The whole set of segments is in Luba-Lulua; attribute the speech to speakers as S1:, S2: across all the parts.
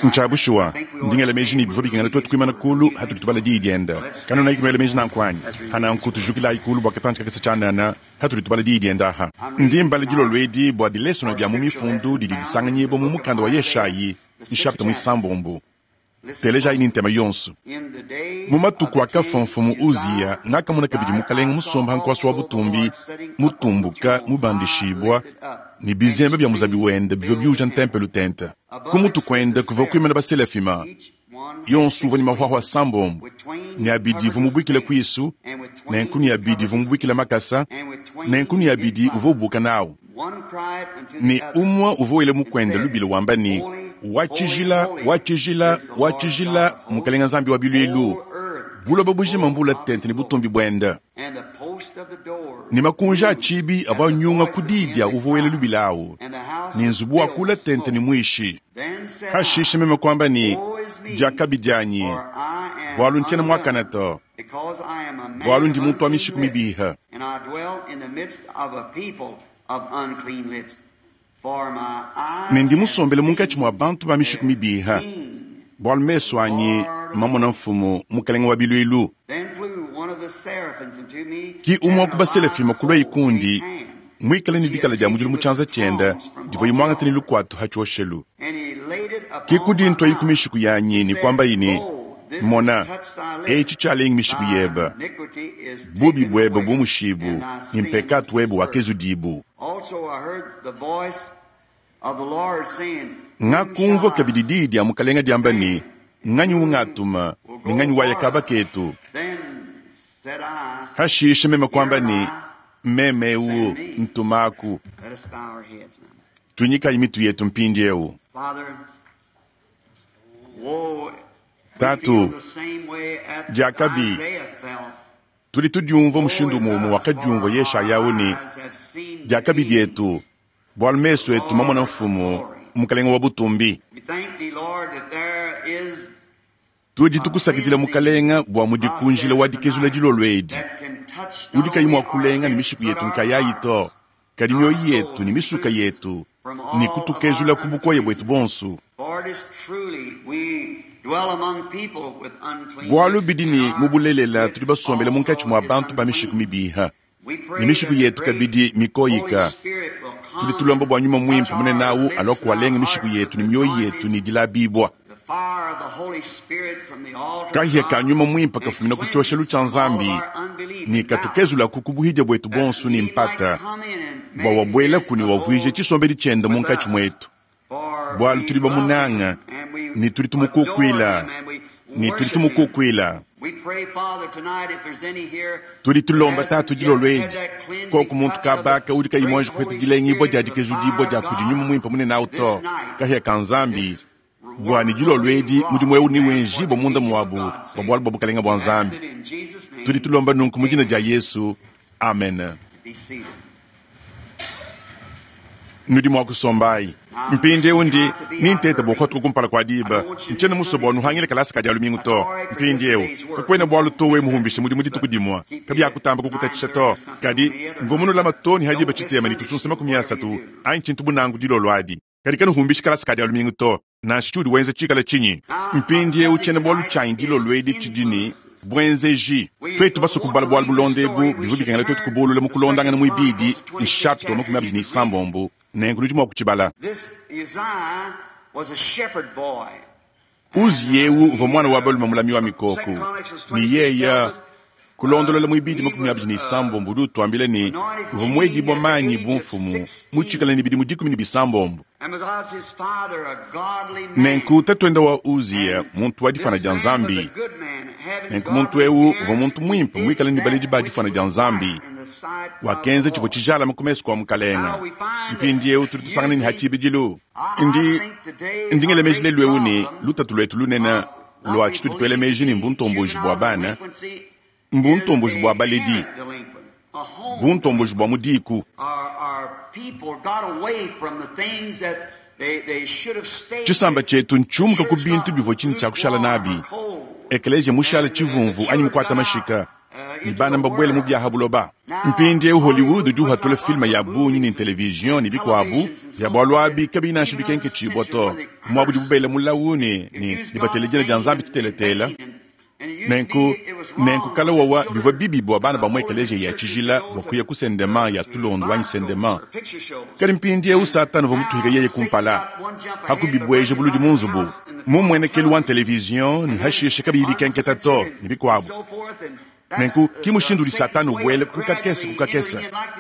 S1: Ntshia bushuwa, ndi ngela meji ne bivua bikengela tuetu kuimana kulu hatudi tubala Diyi diende. Kanuenaku nuela meji nanku anyi? Pa nanku tujukilayi kulu bua katantshi kakese tshianana hatudi tubala Diyi diende aha. Ndi mbala dilolo edi bua dilesona dia mu Mifundu didi disanganyibua mu mukanda wa Yeshayi, nshapita muisambombo. Telejayi ne ntema yonso. Mu matuku akafua mfumu Uziya, ngakamona kabidi Mukalenge musombe ha nkuasa wa butumbi, mutumbuka, mubandishibua, ne bizembe bia muzabi wende bivua biuja ntempelo tente. Ku mutu kuende kuvua kuimana baselafima, yonso uvua ne mahuahua asambombo, ne abidi uvua mubuikile kuisu, nenku ne abidi uvua mubuikile makasa, nenku ne abidi uvua ubuka nawu. Ne umue uvua wela mukuende lubila wamba ne, Wa tshijila, wa tshijila, wa tshijila, Mukelenge Nzambi wa biluilu, buloba bujima mbula tente ne butumbi buende. Ne makunji a tshibi avua anyunga ku diyi dia uvua wela lubila awu, ne nzubu wakula tente ne muishi. Hashishe meme kuamba ne, Diakabi dianyi, bualu ntshiena muakane to, bualu ndi muntu wa mishiku mibihe. Ne ndi musombele munkatshi mua bantu ba mishiku mibiha, bualu mesu anyi mamona Mfumu, Mukelenge wa biluilu. Ki umue wa ku baselafima kuluaye kundi, muikale ne dikala dia mudilu mu tshianza tshiende divuaye muangate ne lukuatu ha tshioshelu. Ki kudintuaye ku mishiku yanyi ne kuambaye ne, Mona, etshi tshialengi mishiku yebe, bubi buebe bumushibu ne mpekatu webe wakezudibu. Ngakumvua kabidi diyi dia Mukalenge diamba ne, Nganyi ungatuma, ne nganyi waya kaba ketu? Hashishe meme kuamba ne, Meme eu, ntumaku. Tuinyikayi mitu yetu mpindieu. Tatu, diakabi, tudi tudiumvua mushindu umue umue wakadiumvua Yeshaya au ne, Diakabi dietu, bualu mesu etu mamona Mfumu, Mukalenge wa butumbi. Tudi tukusakidila Mukalenge bua mudi ku njila wa dikezula dilolo edi, udi kayi mua kulenga ne mishiku yetu nkayayi to, kadi mioyo yetu ne misuka yetu, ne kutukezula ku bukoya buetu buonso. Bualu bidi ne, mu bulelela tudi basombele munkatshi mua bantu ba mishiku mibiha, ne mishiku yetu kabidi mikoyika. Tudi tulomba bua Nyuma Muimpe munene au alua kualenga mishiku yetu ne mioyo yetu ne dilabibua. Kahia ka Nyuma Muimpe kafumina ku tshioshelu tshia Nzambi ne katukezulaku ku buhidia buetu buonso ne mpata, bua wabuelaku ne wavuije tshisombedi tshiende munkatshi muetu, bualu tudi bamunanga ne tudi tumukukuila ne tudi tumukukuila. Tudi tulomba Tatu dilolo edi, koku muntu kabaka udi kayi muanji kupeta dilengibua dia dikezudibua dia kudi Nyuma Muimpe munene au to, kahia ka Nzambi, bua ne dilolo edi mudimu eu newenjibue munda muabu bua bualu bua Bukalenge bua Nzambi. Tudi tulomba nunku mu dina dia Yesu, amen. Nudi mua kusombayi. Mpindieu ndi ni nteta bua kuhatuka kumpala kua diba. Ntshiena musue bua nuhangile kalasa ka dia lumingu to. Mpindieu, kakuena bualu to wewe muhumbishe mudimu dituku dimue, kabiakutamba kukutatshisha to. Kadi, mvua munulama too ne ha diba tshitema ne tusunsa 30 anyi tshintu bu nanku dilolo adi. Kadi kanuhumbishi kalasa ka dia lumingu to, nansha tshiudi wenza tshikale tshinyi. Mpindieu tshiena-bualu tshianyi dilolo edi tshidi ne, Buenzeji. Tuetu basue kubala bualu bulonda ebu, bivua bikengela tuetu kubulula mu kulondangana muibidi, nshapita wa 26, nenku nudi mua kutshibala. Uziya eu uvua muana wa balume mulami wa mikoko, ne yeye Kulondolola muibidi 26 udi utuambila ne, uvua muedibua manyi bu mfumu mutshikale ne bidimu 16. Nenku tatuende wa Uziya muntu wa difuana dia Nzambi. Nenku muntu eu uvua muntu muimpe muikale ne baledi ba difuana dia Nzambi. Wakenza tshivua tshijalame ku mesu kua Mukalenge. Mpindieu tudi tusangana ne ha tshibidilu ndi ndi ngela meji lelu eu ne lutatu luetu lunene lua tshitudi tuela meji ne mbuntomboji bua bana, mbuntomboji bua baledi, buntomboji bua mu diku. Tshisamba tshietu ntshiumuka ku bintu bivua tshine tshia kushala nabi. Ekeleziya mushale tshivumvu anyi mukuate mashika. Ne bana mbabwele mu bya ha buloba. Mpindyewu Hollywood udi uhatula filme ya bungi ne television ne bikwabo bya bwalu abi kabiyi nansha bikenkeciibwa to, mwaba udibu bela mulawu ne, ne, ne batela dina dya Nzambi tutelatela. Nenku, nenku kale wawa bivwa bibi bwa bana ba mu ekeleziya ya cijila bwa kuya ku sendema ya tulondu anyi sendema. Kadi mpindyewu Satana uvwa mutuhike yeye kumpala, ha kubibweja buludi mu nzubu, mu mmwenekelu wa television ne hashishe kabiyi bikenketa to, ne bikwabo. Nenku ki mushindu udi Satana ubwela ku kakese ku kakese.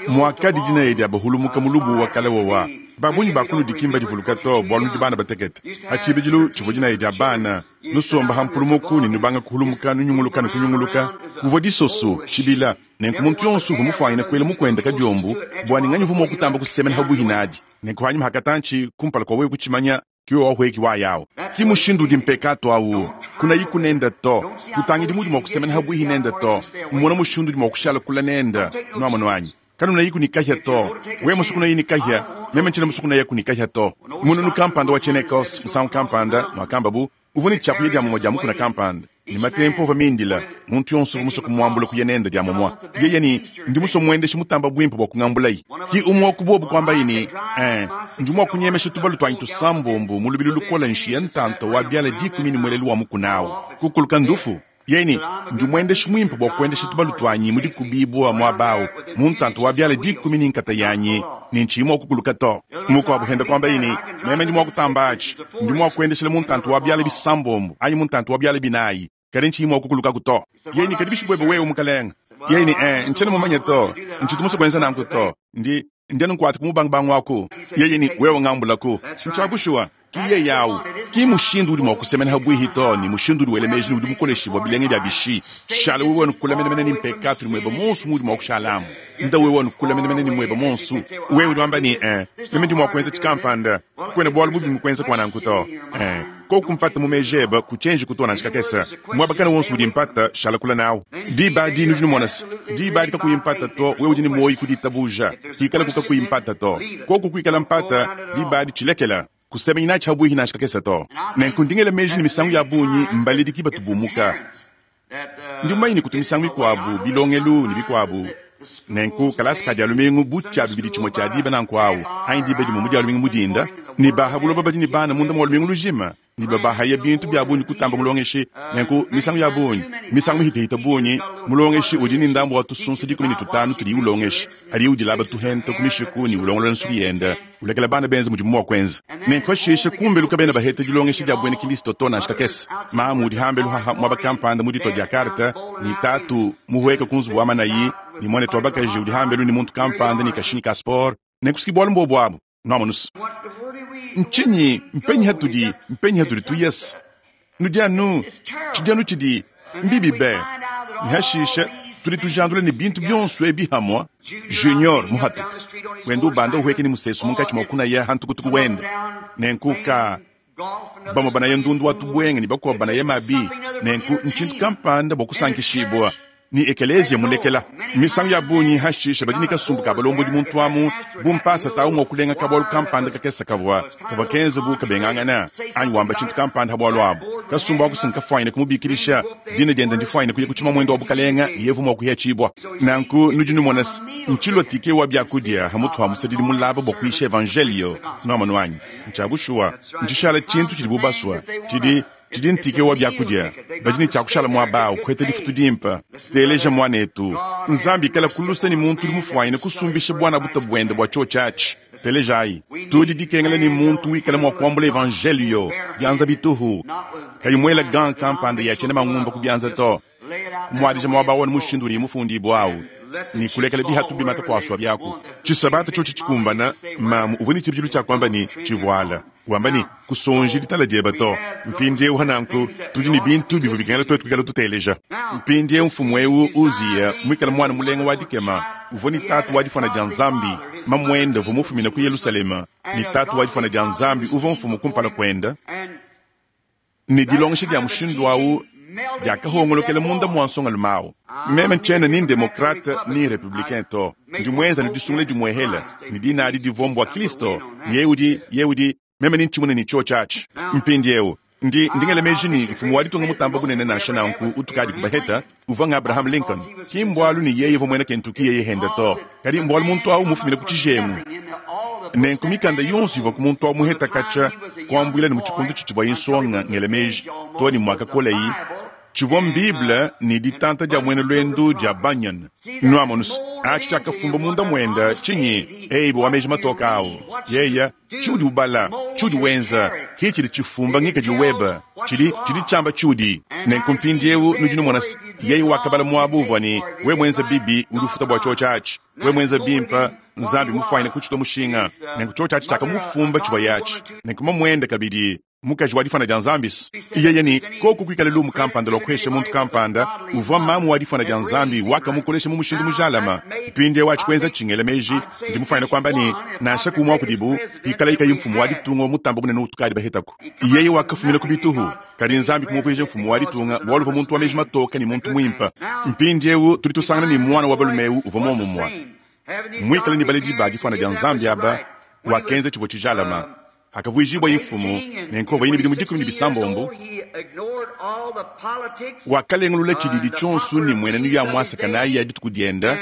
S1: Mwakadi dinaya dya bahulumuka mu lubuwa wa kale wawa. Ba bungi ba kunudi ki mbadivuluka to, bwalu nudi bana batekete. Pa ciibidilu civwa dinaya dya bana, nusomba ha mpulumuku ne nubanga kuhulumuka nunyunguluka ne kunyunguluka. Kuvwa disoso, cibila, nenku muntu yonso uvwa mufwanyine kwela mukwende kadyombu bwa ne nganyi uvwa mwa kutamba kusemena habwihi nadi. Nenku hanyima ha katanci, kumpala kwa wewe kucimanya, ki wewe wahweki waya awu. Ki mushindu udi mpekatu awu. Kunayiku nende to. Kutangidi muudi mwa kusemena habwihi nende to. Mona mushindu udi mwa kushala kule nende. Nwamonu anyi? Kanunayiku ne kahia to. Wewe musue kunayi ne kahia, meme ntshiena musue kunayaku ne kahia to. Mununu kampanda wa tshiena-Ecosse, musangu kampanda, mwakamba bu uvua ne tshiakuya dia mumue dia mukuna kampanda, ne matempu avua mindila, muntu yonso uvua musue kumuambula kuya nende dia mumue. Yeye ne, Ndi musue muendeshi mutamba buimpe bua kungambulaye. Ki umue wa ku bobu kuambaye ne, Ee, ndi mua kunyemesha tubalu tuanyi tusambombo mu lubilu lukole nshiya ntanta wa biala dikumi ne muelelu wa mukuna au. Kukuluka ndufu. Yeye ne, Ndi muendeshi muimpe bua kuendesha tubalu tuanyi mu dikubibua muaba au, mu ntanta wa biala dikumi ne nkata yanyi, ne ntshiyi mua kukuluka to. Mukuabu pende kuambaye ne, Meme ndi mua kutamba atshi. Ndi mua kuendeshela mu ntanta wa biala bisambombo anyi mu ntanta wa biala binayi, kadi ntshiyi mua kukulukaku to. Yeye ne, Kadi bishi buebe wewe, mukalenge? Yeye ne, Ee, ntshiena mumanye to. Ntshitu musue kuenza nanku to. Ndi, ndi anu nkuata ku mubangubangu aku. Yeye ne, Wewe ngambulaku. Ntshia bushuwa. Ki yeye awu. Ki mushindu udi mua kusemena habwihi to, ne mushindu udi wela meji ne udi mukoleshibua bilenge bia bishi. Shala wewe anu kule menemene ne mpekatu ne muebe muonso muudi mua kushalamu. Nda wewe anu kule menemene ne muebe muonso. Wewe udi wamba ne, Ee, meme ndi mua kuenza tshikampanda. Kuena bualu bubi mu kuenza kua nanku to. Ee, koku mpata mu meji ebe, kutshienji ku to nansha kakese. Muaba kana wonso udi mpata, shala kule nawu. Diba adi nudi numona se, diba adi kakuyi mpata to, wewe udi ne muoyo ku ditabuja. Kuikalaku kakuyi mpata to. Koku kuikala mpata, diba adi tshilekela. Kusemenyi natshi habwihi nansha kakese to. Nenku ndi ngela meji ne misangu ya bungi mbaledi ki batu bumuka. Ndi mumanye ne kutu misangu mikuabu bilongelu ne bikuabu. Nenku kalasa ka Dia lumingu bu tshia bibidi tshimue tshia diba nanku awu, anyi diba dimue mu Dia lumingu mu dinda, ne ba ha buloba badi ne bana munda mua lumingu lujima, ne babahaya bintu bia bungi kutamba mulongeshi. Nenku misangu ya bungi, misangu mihitehite bungi, mulongeshi udi ne ndambu wa tusunsa 15 tudiye ulongesha, padiye udilaba tuhente ku mishiku ne ulongolola nsuki yende, ulekela bana benza mudimu mua kuenza. Nenku pashishe kumbelu kabena baheta dilongesha dia buena Kilisto to nansha kakese. Mamu udi hambelu haha muaba kampanda mu ditua dia karte, ne tatu muhueka ku nzubu wa manayi, ne muanetu wa bakaji udi hambelu ne muntu kampanda ne kashinyi ka sport. Nenku si bualu mbuobu abu. Nuamonus. Ntshinyi? Mpenyi hatudi? Mpenyi hatudi tuyese? Nudi anu, tshidi anu tshidi, mbibi be. Ne hashishe tudi tujandula ne bintu bionso ebi hamua. Junior muhatuka wenda ubanda uhueka ne musesu munkatshi mua kunaya ha ntukutuku wende. Nenku ka bamue banaya ndundu wa tubuenge ne bakuabo banaya mabi. Nenku ntshintu kampanda bua kusankishibua ne ekeleziya mulekela. Misangu ya bungi hashishe badi ne kasumbu ka balombodi muntu amu bu mpasata au mua kulenga kabualu kampanda kakese kavua kavua kenza bu kabengangana anyi wamba tshintu kampanda ha bualu abu. Kasumbu aku si nkafuanyine kumubikidisha dina diende ndifuanyine kuya ku tshimamuende wa bukalenga yevu mua kuhetshibua. Nanku nudi numona se ntshilua tike wa biakudia ha mutu ha musadidi mulaba bua kuyisha evanjelio. Nuamonu anyi? Ntshia bushuwa, ntshishala tshintu tshidibu basua tshidi Tshidi ntike wa biakudia. Badi ne tshia kushala muaba au, kuheta difutu dimpe. Teleja, muanetu. Nzambi ikala ku luse ne muntu udi mufuanyine kusumbisha buana buta buende bua tshiotshi atshi. Telejayi. Tudi dikengela ne muntu wikala mua kuambula evanjelio bianza bituhu, kayi muela gant kampanda ya tshiena mangumba ku bianza to. Kumuadija muaba au anu mushindu udiye mufundibue au, ne kulekela bihatu bimata kuasua biaku. Tshisabata tshiotshi tshikumbana, mamu uvua ne tshibidilu tshia kuamba ne, Tshivuala, wamba ne, Kusonji ditala diebe to. Mpindieu nanku, tudi ne bintu bivua bikengela tuetu kuikala tuteleja. Mpindieu mfumu eu Uziya, muikale muana mulenga wa dikema, uvua ne tatu wa difuana dia Nzambi, mamuende uvua mufumine ku Yelushalema, ne tatu wa difuana dia Nzambi uvua mfumu kumpala kuende, Ne dilongesha dia mushindu au diakahongolokela munda mua nsongalume au. Meme ntshiena ni ndemokrate ni republicain to. Ndi muenza ne disungula dimuehela, ne dina adi divua mbua Kristo. Ne yeye udi, yeye udi, meme ne ntshimune ne tshiotshi atshi. Mpindieu, Ndi, ndi ngela meji ne, mfumu wa ditunga mutamba bunene nansha nanku utukadi kubaheta uvua ng'Abraham Lincoln. Ki mbualu ne yeye uvua muena Kentucky yeye henda to, kadi mbualu muntu awu mufumine ku tshijengu. Nenku mikanda yonso ivua ku muntu awu muheta katshia kuambuila ne mu tshikondo tshitshivuaye nsonga ngela meji too ne muakakolayi, tshivua m'Bible ne ditanta dia muena luendu dia Bunyan. Nuamonus, atshi tshiakafumba munda muenda tshinyi? Abe wa meji matoke awu. Yeya, tshiudi ubala, tshiudi wenza, ke tshidi tshifumba ngikadilu webe. Tshidi, tshidi tshiamba tshiudi. Nenku mpindiewu nudi numona se, yeye wakabala muaba uvua ne, we muenza bibi, udi ufuta bua tshiotshi atshi. We muenza bimpe, Nzambi mufuanyine kutshitua mushinga. Nenku tshiotshi atshi tshiakamufumba tshivuaye atshi. Nenku mamuende kabidi. Mukaji wa difwana dia Nzambi's. Yeye ne, Koku kwikale lumu kampanda lwa kuhesha muntu kampanda, uvwa maamu wa difwana dia Nzambi, wakamukolesha mu mushindu mujalama. Mpindyewu aci kwenza cingela meeji, ndi mufwanyine kwamba ne, nansha ku umwe wa kudibu, pikalaye kayi mfumu wa ditunga wa mutamba bunene utukaadi bahetaku. Yeye wakafumina ku bituhu, kadi Nzambi kumuvwija mfumu wa ditunga bwalu uvwa muntu wa meeji matooka ne muntu mwimpe. Mpindyewu tudi tusangana ne mwana wa balume ewu uvwa mwomumwe. Mwikale ne baledi ba difwana dia Nzambi aba, wakenza civwa cijalama. Hakavuijibuaye mfumu, nenku havuaye ne bidimu 16, wakalengulula tshididi tshionso ne mmuenenu ya muasaka nayi ya dituku diende,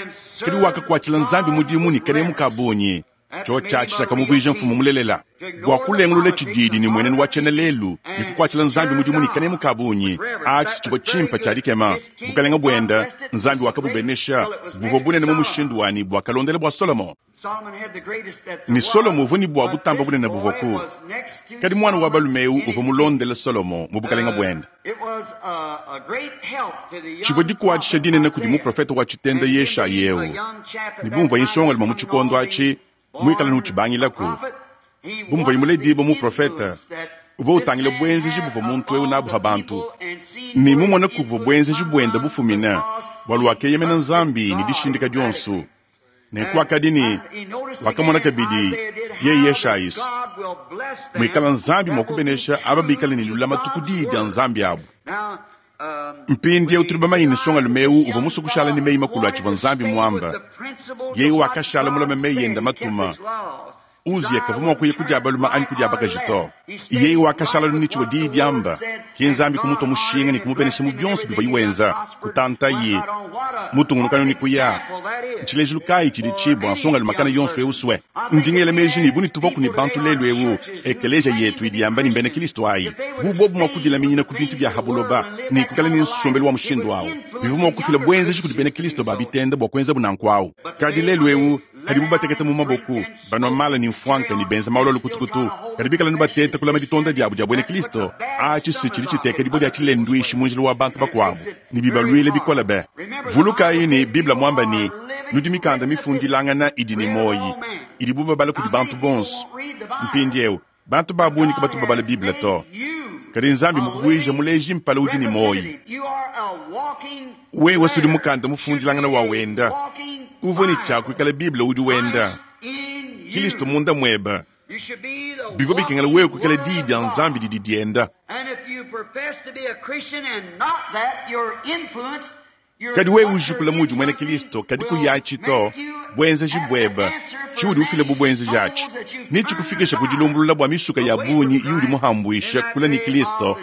S1: kadi wakakuatshila Nzambi mudimu ne kanemu ka bungi. Tshiotshi atshi tshiakamuvuija mfumu mulelela. Bua kulengulula tshididi ne mmuenenu wa tshiena-lelu ne kukuatshila Nzambi mudimu ne kanemu ka bungi, atshi tshivua tshimpe tshia dikema. Bukalenge buende, Nzambi wakabubenesha, buvua bunene mu mushindu wa ne buakalondela bua Solomo. Ne Solomo uvua ne bua butamba bunene buvuaku, kadi muana wa balume eu uvua mulondele Solomo mu bukalenge buende. Tshivua dikuatshisha dinene kudi muprofete wa tshitenda Yeshaya eu, ne bu muvuaye nsongalume mu tshikondo atshi muikale ne utshibangilaku, bu muvuaye muledibue muprofete, uvua utangila buenzeji buvua muntu eu nabu pa bantu, ne mumone kuvua buenzeji buende bufumine, bualu wakeyemena Nzambi ne dishindika dionso. Nenku wakadi ne wakamona kabidi yeye Yeshayis muikala Nzambi mua kubenesha aba bikale ne lulamatu ku diyi dia Nzambi abu. Mpindieu tudi bamanye ne nsongalume eu uvua musue kushala ne meyi makulu a tshivua Nzambi muamba. Yeye wakashala mulame meyi ende matuma. Uziya kavua mua kuya ku dia balume anyi ku dia bakaji to. Yeye wakashala anu ne tshivua diyi diamba. Ke Nzambi kumutua mushinga ne kumubenesha mu bionso bivuaye wenza, kutantaye mutungunuka anu ne kuya. Ntshilejilu kayi tshiditshi bua nsongalume kana yonso eu sue? Ndi ngela meji ne, bu ne tuvuaku ne bantu lelu eu, ekeleziya yetu idi yamba ne mbena Kristo ayi, bu bobu mua kudilaminyina ku bintu bia ha buloba ne kuikala ne nsombelu wa mushindu au, bivua mua kufila buenzeji kudi bena Kristo ba bitende bua kuenzabu nanku au. Kadi lelu eu, padibu bateketa mu maboku, banua mala ne mfuanka ne benza malu a lukutukutu, kadi bikala anu bateta kulama ditonda diabu dia buena Kristo, atshi si tshidi tshiteka dibue dia tshilenduishi mu njila wa bantu bakuabu ne bibaluile bikole be. Vulukayi ne, Bible muamba ne, Nudi mikanda mifundilangana idi ne muoyi, idibu babala kudi bantu bonso. Mpindieu, bantu ba bungi kabatu babala Bible to. Kadi Nzambi mmukuvuije muleji mpala udi ne muoyi. Wewe sudi mukanda mufundilangana wa wenda. Uvua ne tshia kuikala Bible udi wenda. Kilisto munda muebe. Bivua bikengela wewe kuikala Diyi dia Nzambi didi dienda. Kadi wewe ujikula muudi muena Kilisto kadi kuyi atshi to, buenzeji buebe, tshiudi ufila bu buenzeji atshi, netshikufikishe ku dilumbulula bua misuka ya bungi iudi muhambuishe kule ne Kilisto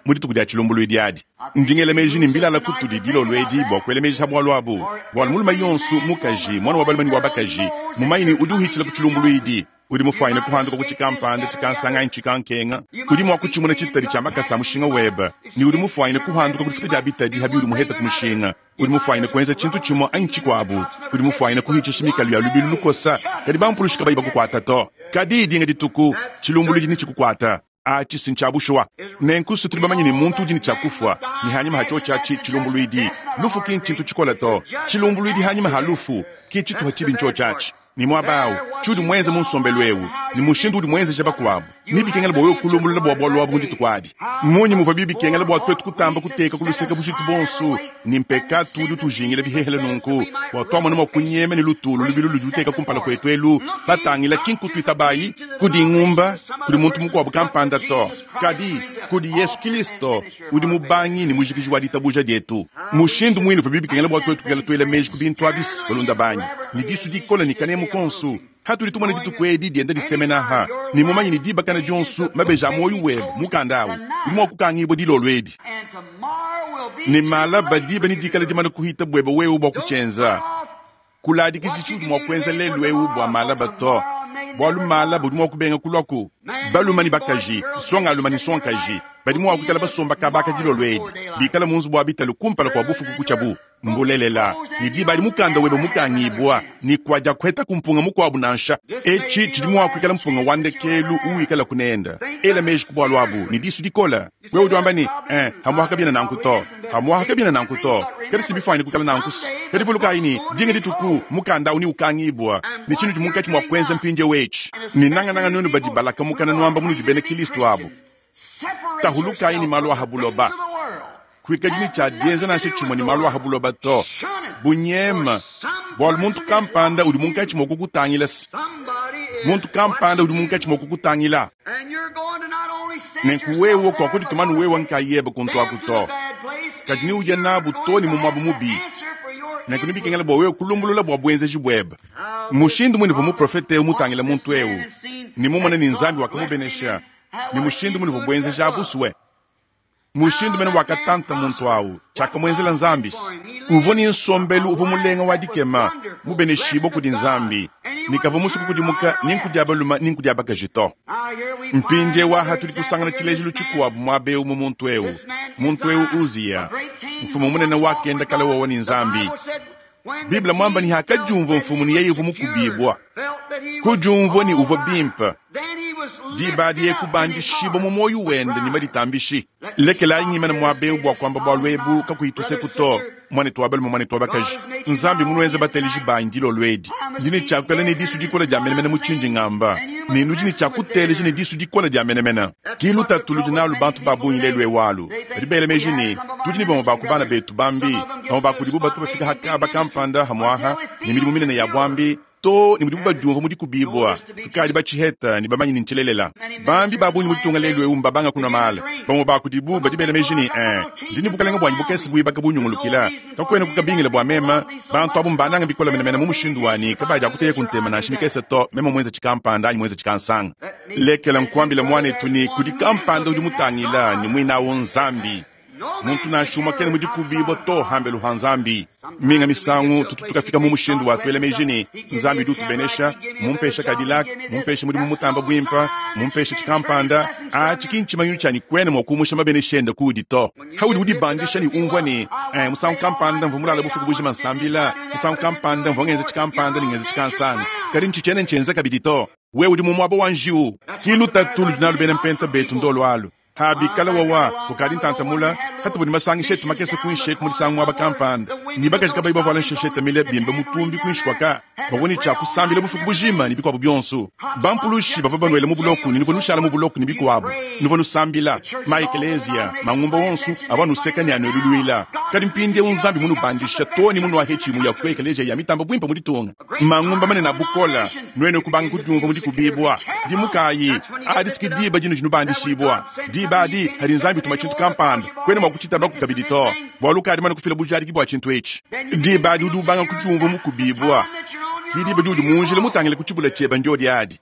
S1: mu dituku dia tshilumbuluidi adi. Ndi ngela meji ne mbilala kutudi dilolo edi bua kuela meji ha bualu abu, bualu mulume yonso, mukaji, muana wa balume ne wa bakaji, mumanye ne udi uhitshila ku tshilumbuluidi. Udi mufuanyine kuhanduka ku tshikampanda, tshikansanga anyi tshikankenga. Udi mua kutshimuna tshitadi tshia makasa a mushinga webe, ne udi mufuanyine kuhanduka ku difuta dia bitadi ha biudi muhete ku mushinga. Udi mufuanyine kuenza tshintu tshimue anyi tshikuabu. Udi mufuanyine kuhitshisha mikalu ya lubilu lukosa, kadi bampulushi kabayi bakukuata to. Kadi dinga dituku, tshilumbuluidi netshikukuata. Atshi si ntshia bushuwa. Nenku se tudi bamanye ne muntu udi ne tshia kufua, ne hanyima ha tshiotshi atshi tshilumbuluidi. Lufu ki ntshintu tshikole to. Tshilumbuluidi hanyima ha lufu ki tshituha tshibi ntshiotshi atshi. Ne muaba au, tshiudi muenze mu nsombelu eu ne mushindu udi muenzeja bakuabu, nebikengele bua wewe kulumbulula bua bualu abu mu dituku adi. Mmunyi muvuabi bikengela bua tuetu kutamba kuteka ku luseke bujitu buonso ne mpekatu udi utujingila bihehele nunku, bua tuamona mua kunyema ne lutulu lubilu ludi luteka kumpala kuetu elu, batangila ki nkutuitabayi kudi ngumba, kudi muntu mukuabu kampanda to, kadi kudi Yesu Kristo udi mubangi ne mujikiji wa ditabuja dietu. Mushindu muine uvuabi bikengela bua tuetu kuikala tuela meji ku bintu abi, balunda banyi, ne disu dikole ne kanemu konso. Hatudi tumona dituku edi dienda disemena aha, ne mumanye ne diba kana dionso mabeji a muoyo webe mukanda awu udi mua kukangibua dilolo edi. Ne malaba diba ne dikala dimane kuhita buebe wewe bua kutshienza. Kuladikiji tshiudi mua kuenza lelu eu bua malaba to, bualu malaba udi mua kubenga kuluaku. Balume ne bakaji, nsongalume ne nsongakaji badi mua kuikala basomba kaba aka dilolo edi, bikale mu nzubu wa bitalu kumpala kua bufuku kutshiabu. Mbulelela, ne diba adi mukanda webe mukangibua, ne kuadiakuhetaku mpunga mukuabu nansha. Etshi tshidi mua kuikala mpunga wa ndekelu uwikalaku nende. Ela meji ku bualu abu ne disu dikole. Wewe udi wamba ne, Eh, pamuapa kabiena nanku to. Pamuapa kabiena nanku to. Kadi si bifuanyine kuikala nanku. Kadi vulukayi ne, dinga dituku mukanda au neukangibua, ne tshinudi munkatshi mua kuenza mpindieu etshi, ne nangananga nuenu badi balaka mukana nuamba munudi bena Kristo abu, tahulukayi ne malu a ha buloba. Kuikadi ne tshia dienza nansha tshimue ne malu a ha buloba to. Bunyema, bualu muntu kampanda udi munkatshi mua kukutangila. Muntu kampanda udi munkatshi mua kukutangila. Nenku wewe kuakudituma anu wewe nkayebe kuntu aku to, kadi neuye nabu too ne mu muaba mubi. Nenku nebikengela bua wewe kulumbulula bua buenzeji buebe. Mushindu mune uvua muprofete eu mutangile muntu eu ne mumone ne Nzambi wakamubenesha, ne mushindu mune uvua buenzeji abu sue. Mushindu mene wakatanta muntu au, tshiakamuenzela Nzambi. Uvua ne nsombelu uvua mulenga wa dikema, mubeneshibue kudi Nzambi, ne kavua musue kukudimuka ni nku dia balume ni nku dia bakaji to. Mpindieu aha tudi tusangana tshilejilu tshikuabu muaba eu mu muntu eu. Muntu eu Uziya, mfumu munene wakenda kale wowa ne Nzambi. Bible muamba ne hakadiumvua mfumu ne yeye uvua mukubibua, kudiumvua ne uvua bimpe, diba adi yeye kubandishibua mu muoyo wende ne maditambishi. Lekelayi ngimane muaba eu bua kuamba bualu ebu kakuyi tuseku to, muanetu wa balume, muanetu wa bakaji. Nzambi munuenze bateleji banyi dilolo edi. Ndi ne tshia kuikala ne disu dikole dia menemene mu tshindi ngamba, ne nudi ne tshia kuteleja ne disu dikole dia menemene. Ki lutatu ludi nalu bantu ba bungi lelu eu alu. Badi bela meji ne, tudi ne bamue ba ku bana betu bambi, bamue ba kudibu batu bafika ha kaba kampanda hamuaha ne midimu minene ya buambi, too ne mudibu badiumvua mu dikubibua. Tukadi batshiheta ne bamanye ne ntshilelela. Bambi ba bungi mu ditunga lelu eu mbabanga kunua maala. Bamue ba kudibu badi bela meji ne, eh, ndi ne bukalenge buanyi bukese buibaka bunyungulukila, kakuena kukabingila bua meme. Bantu abu mbanange bikole menemene mu mushindu wa ne, kabadiakuteyaku ntema nansha mikese to, meme muenze tshikampanda anyi muenze tshikansanga. Lekela nkuambile muanetu ne, kudi kampanda udi mutangila, ne muine au n'Nzambi. Muntu nansha umue kena mu dikubibua to hambelu ha Nzambi. Minga misangu tutu tukafika mu mushindu wa tuela meji ne, Nzambi udi utubenesha, mmumpesha Cadillac, mmumpesha mudimu mutamba buimpe, mmumpesha tshikampanda. Atshi ki ntshimanyinu tshia ne kuena mua kumusha mabenesha ende kuudi to. Paudi udibandisha ne umvua ne, eh, musangu kampanda mvua mulale bufuku bujima nsambila, musangu kampanda mvua ngenza tshikampanda ne ngenza tshikansanga, kadi ntshitshiena ntshienza kabidi to. Wewe udi mu muaba wa njiwu. Ki lutatu ludi nalu bena mpenta betu ndolu alu. Ha bikala wawa kukadi ntanta mula, hatuvua ne masangisha etu makese kuinshi eku mu disangu muaba kampanda, ne bakaji kabayi bavuala nsheshete mile bimbe mutumbi kuinshi kua ka, bavua ne tshia kusambila bufuku bujima ne bikuabu bionso. Bampulushi bavua banuela mu buloko ne nuvua nushala mu buloko ne bikuabu, nuvua nusambila. Ma ekeleziya, mangumba onso avua anuseka ne anueluluila. Kadi mpindieu Nzambi munubandisha too ne munuahetshi imue ya ku ekeleziya ya mitamba buimpe mu ditunga. Mangumba manene a bukole, nuenu kubanga kudiumvua mu dikubibua. Dimukayi, adi si ke diba dinudi nubandishibua. Diba adi, padi Nzambi utuma tshintu kampanda, kuena mua kutshitabaku kabidi to, bualu ukadi mumane kufila bujadiki bua tshintu etshi. Diba adi udi ubanga kudiumvua mukubibua. Ke diba diudi mu njila mutangile ku tshibula tshiebe ndiodi adi.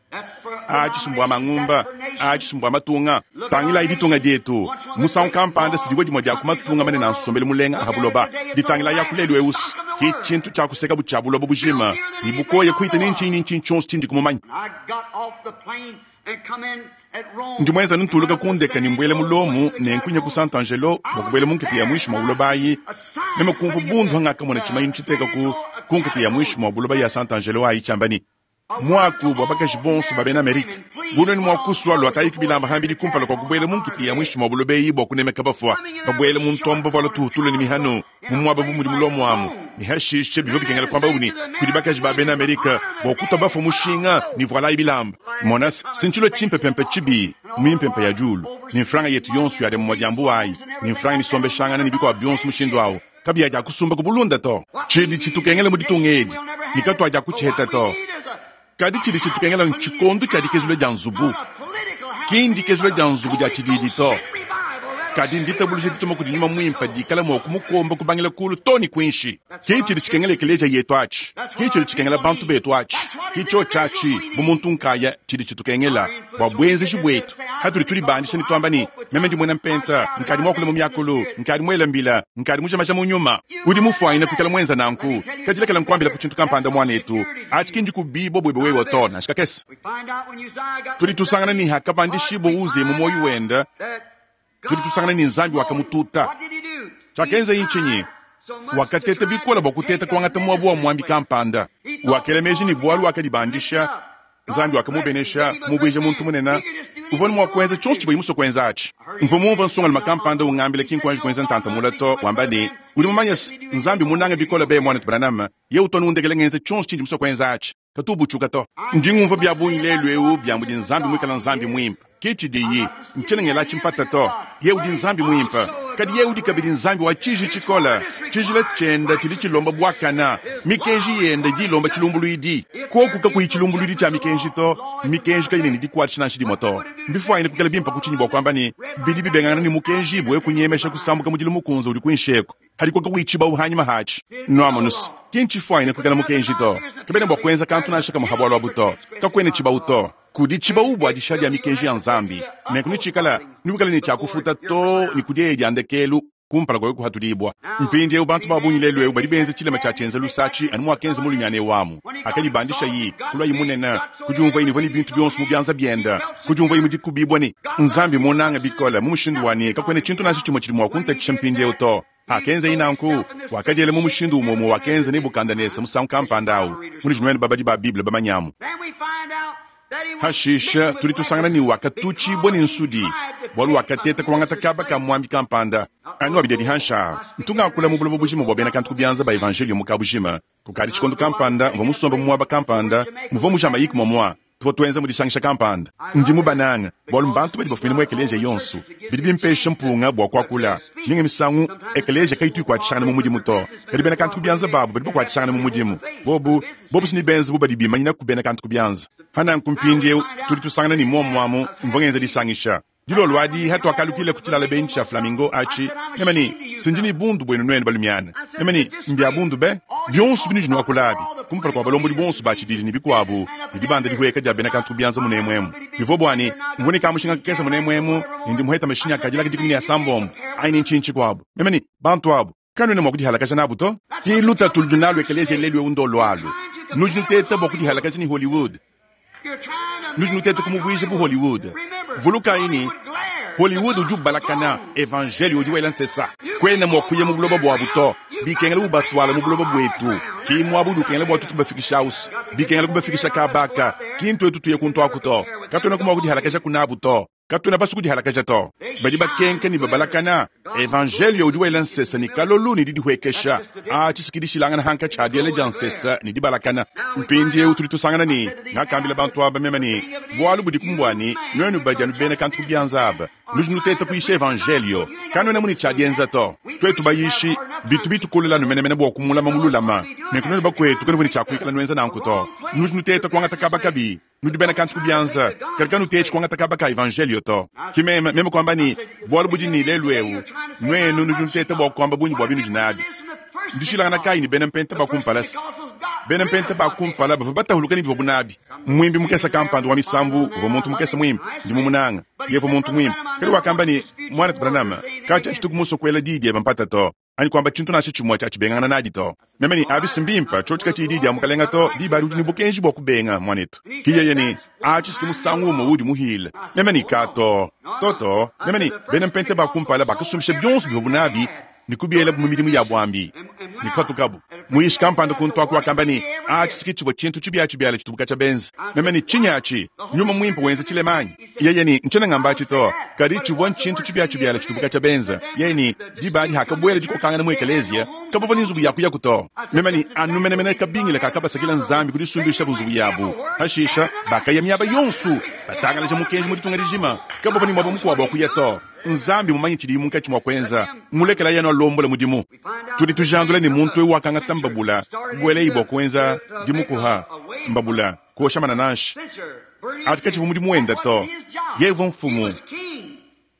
S1: A tshisumbu a mangumba, a tshisumbu a matunga, tangilayi ditunga dietu. Musangu kampanda si divua dimue dia ku matunga manene a nsombelu mulenga a pa buloba. Ditangilayi aku lelu eu, ke tshintu tshia kusekabu tshia buloba bujima, ne bukoya kuhita ne ntshinyi ne ntshinyi tshionso tshindiku mumanye. Ndi muenza anu ntuluka ku ndeka ne mbuela mu Lomo ne nkunya ku Sant'Angelo bua kubuela mu nkita ya muinshi mua buloba ayi. Meme kumvua bundu hangakamona tshimanyinu tshiteka ku ku nkita ya muinshi mua buloba ya Sant'Angelo ayi tshiamba ne, Muaku bua bakaji bonso ba bena Amerika, bu nuenu mua kusua luatayiku bilamba hambidi kumpala kua kubuela mu nkita ya muinshi mua buloba eyi bua kunemeka bafua, babuele mu ntombo bavuala tuhutulu ne mihanu mu muaba bu mudi mu Lomo amu, ne hashishe bivua bikengela kuamba ne kudi bakaji ba bena Amerika bua kutua bafua mushinga ne vualayi bilamba. Mona, si ntshilua tshimpepempe tshibi mu mimpempe ya diulu, ne mfranga yetu yonso ya dia dia mbuwa ayi, ne mfranga misombeshangana ne bikuabu bionso mushindu awu, kabiya dia kusumba ku bulunda to. Tshidi tshitukengela mu ditunga edi ne katuadia kutshiheta to. Kadi tshidi tshitukengela ntshikondo tshia dikezula dia nzubu, ki ndikezula dia nzubu dia tshididi to. Kadi nditabuluja dituma kudi Nyuma Mwimpe diikala mwa kumukomba kubangila kuulu too ne kwinshi. Ki cidi cikengela ekeleeziya yetu aci. Ki cidi cikengela bantu beetu aci. Ki cyoci aci, bu muntu nkaaya, cidi citukengela, bwa bwenzeji bwetu. Hatudi tudibandisha ne twamba ne, Meme ndi mwena Mpenta, nkaadi mwakule mu myakulu, nkaadi mwele mbila, nkaadi muje maja mu nyuma. Udi mufwanyine kwikala mwenza nanku. Kadi lekela nkwambilaku cintu kampanda, mwaneetu. Aci ki ndikubiibwa bwebe wewe to, nansha kakese. Tudi tusangana ne hakabandishibwa Uziya mu mwoyi wende, tudi tusangana ne Nzambi wakamututa. Cyakenzaye ncinyi? Wakateta bikole bwa kuteeta kwangata mwaba wa mwambi kampanda. Wakela meeji ne bwalu wakadibandisha, Nzambi wakamubenesha, kumuvwija muntu munene. Uvwa ne mwa kwenza cyonso civwaye muswe kwenza aci. Mvwa mumvwe nsongalume kampanda ungambila, ki nkwanji kwenza ntanta mule to, wamba ne, Udi mumanye's, Nzambi mmunange bikole be, Mwanetu Branham. Yeye utu anu undekela ngenza cyonso cindi muswe kwenza aci. Katu ubutshuka to. Ndi ngumvwa bya bungi lelu ewu bya mudi Nzambi mwikala Nzambi mwimpe. Ke tshidiyi. Ntshiena ngela tshimpata to. Yeye udi Nzambi mwimpe. Kadi Yeye udi kabidi Nzambi wa tshiji tshikole. Tshijila tshiende tshidi tshilomba buakana. Mikenji yende idi ilomba tshilumbuluidi. Koku kakuyi tshilumbuluidi tshia mikenji to, mikenji kayina ne dikuatshisha nansha dimue to. Mbifuanyine kuikala bimpe ku tshinyi bua kuamba ne, bidi bibengangana ne mukenji bua kunyemesha kusambuka mudilu mukunze udi kuinshi eku? Hadi kakuyi tshibawu hanyima hatshi. Nwamonu's, ki ntshifuanyine kuikala mukenji to. Kabena bua kuenza kantu nansha kamue ha bualu abu to. Kakuena tshibawu to. Kudi tshibawu bua dishiha dia mikenji ya Nzambi. Nenku netshikala, newikale ne tshia kufuta too ne ku dieya dia ndekelu kumpala kua wewe kuhatudibua. Mpindieu bantu ba bungi lelu eu badi benza tshilema tshia tshienza lusa atshi anu muakenza mulumiana eu amu. Hakadibandishayi, kuluayi munene, kudiumvuayi ne uvua ne bintu bionso mu bianza biende, kudiumvuayi mu dikubibua ne Nzambi mmunange bikole mu mushindu wa ne kakuena tshintu nansha tshimue tshidi mua kuntatshisha mpindieu to. Hakenzaye nanku, wakadiela mu mushindu umue umue wakenza Nebukadenesa musangu kampanda au, munudi nuenu babadi ba Bible bamanyamu. Hashishe tudi tusangana ne wakatutshibua ne nsudi, bualu wakateta kuangata kaba ka muambi kampanda. Anu abidi adi hanshi aa, ntu ngakula mu buloba bujima bua bena kantu ku bianza ba evanjeliyo mu kabujima. Kukadi tshikondo kampanda mvua musombe mu muaba kampanda muvua mu Jamaïque muamua. Tuvua tuenza mu disangisha kampanda. Ndi mubanange bualu mbantu badi bafumine mu ekeleziya yonso. Bidi bimpesha mpunga bua kuakula. Minga misangu, ekeleziya kayitu ikuatshishangana mu mudimu to, kadi bena kantu ku bianza babu badi bakuatshishangana mu mudimu. Bobu, bobu si nebenze bu badi bimanyina ku bena kantu ku bianza. Pa nanku mpindieu tudi tusangana ne muomu amu mvua ngenza disangisha. Dilolo adi hatuakalukila ku tshilala benyi tshia Flamingo atshi, meme ne, Si ndi ne bundu buenu nuenu balumiana. Meme ne, Mbia bundu be! Bionso binudi nuakula abi, kumpala kua balombodi bonso ba tshididi ne bikuabu, ne dibanda dihueka dia bena kantu ku bianza munemu emu, bivua bua ne, mvua ne kamushinga kakese munemu emu, ne ndi muheta mashinyi a Cadillac 16 anyi ne ntshinyi tshikuabu. Meme ne, Bantu abu, kanuena mua kudihalakaja nabu to. Ki lutatu ludi nalu ekeleziya lelu eu ndolu alu. Nudi nuteta bua kudihalakaja ne Hollywood. Nudi nuteta kumuvuija bu Hollywood. Vulukayi ne, Hollywood udi ubalakana, evanjeliyo udi wela nsesa. Kuena mua kuya mu buloba buabu to. Bikengela ubatuala mu buloba buetu. Ki muaba udi ukengela bua tuetu kubafikisha au's. Bikengela kubafikisha kaba aka. Ki ntuetu tuya kuntu aku to. Katuenaku mua kudihalakajaku nabu to. Katuena basue kudihalakaja to. Badi bakenka ne babalakana. Evanjeliyo udi wela nsesa ne kalolu ne didihuekesha. Aa tshisiki dishilangana hankatshi ha diela dia nsesa ne dibalakana. Mpindieu tudi tusangana ne, ngakambila bantu aba meme ne, bualu budiku mbua ne, nuenu badi anu bena kantu ku bianza aba, nudi nuteta kuyisha evanjeliyo. Kanuena mu ne tshia dienza to. Tuetu bayishi, bitu bitukolela anu menemene bua kumulama mululama. Nenku nuenu bakuetu kanuvua ne tshia kuikala nuenza nanku to. Nudi nuteta kuangata kaba kabi. Nudi bena kantu ku bianza, kadi kanutetshi kuangata kaba ka evanjeliyo to. Ki meme, meme kuamba ne, bualu budi ne lelu eu, nuenu nudi nuteta bua kuamba bungi bua binudi nabi. Ndishilangana kayi ne bena mpenta ba kumpala se? Bena mpenta ba kumpala bavua batahuluka ne bivuabu nabi. Muimbi mukese kampanda wa misambu uvua muntu mukese muimpe, ndi mumunanga. Yeye uvua muntu muimpe. Kadi wakamba ne, Muanetu Branham, katshia tshituku musue kuela diyi diebe mpata to. anyi kuamba tshintu nansha tshimue tshia tshibengangana nadi to. Meme ne, Abi si mbimpe, tshiotshi katshiyi diyi dia Mukalenga to, diba adi udi ne bukenji bua kubenga, muanetu. Ki yeye ne, Atshi si musangu umue uudi muhile. Meme ne, Ka to. To, to. Meme ne, Bena Mpenta ba kumpala bakasumbisha bionso bivuabu nabi ne kubielabu mu midimu ya buambi, ne kupatukabu. Muyishi kampanda kuntu aku wakamba ne, Atshi si tshivua tshintu tshibiatshibiala tshitubu katshia benza. Meme ne, Tshinyi atshi? Nyuma Muimpe wenza tshilema anyi? Yeye ne, Ntshiena ngamba atshi to, kadi tshivua ntshintu tshibiatshibiala tshitubu katshia benza. Yeye ne, Diba adi hakabuela dikokangana mu ekeleziya, kabavua ne nzubu ya kuyaku to. Meme ne, Anu menemene kabingila kakabasakila Nzambi ku disumbishabu nzubu yabu. Pashisha bakaya miaba yonso, batangalaja mukenji mu ditunga dijima. Kabavua ne muaba mukuabu wa kuya to. Nzambi mumanye tshidiye munkatshi mua kuenza, mulekelayi anu alombole mudimu. Tudi tujandula ne muntu eu wakangata mbabula, kubuelayi bua kuenza dimukuha mbabula, kuosha manananshi. Atshi katshivua mudimu wende to. Yeye uvua mfumu.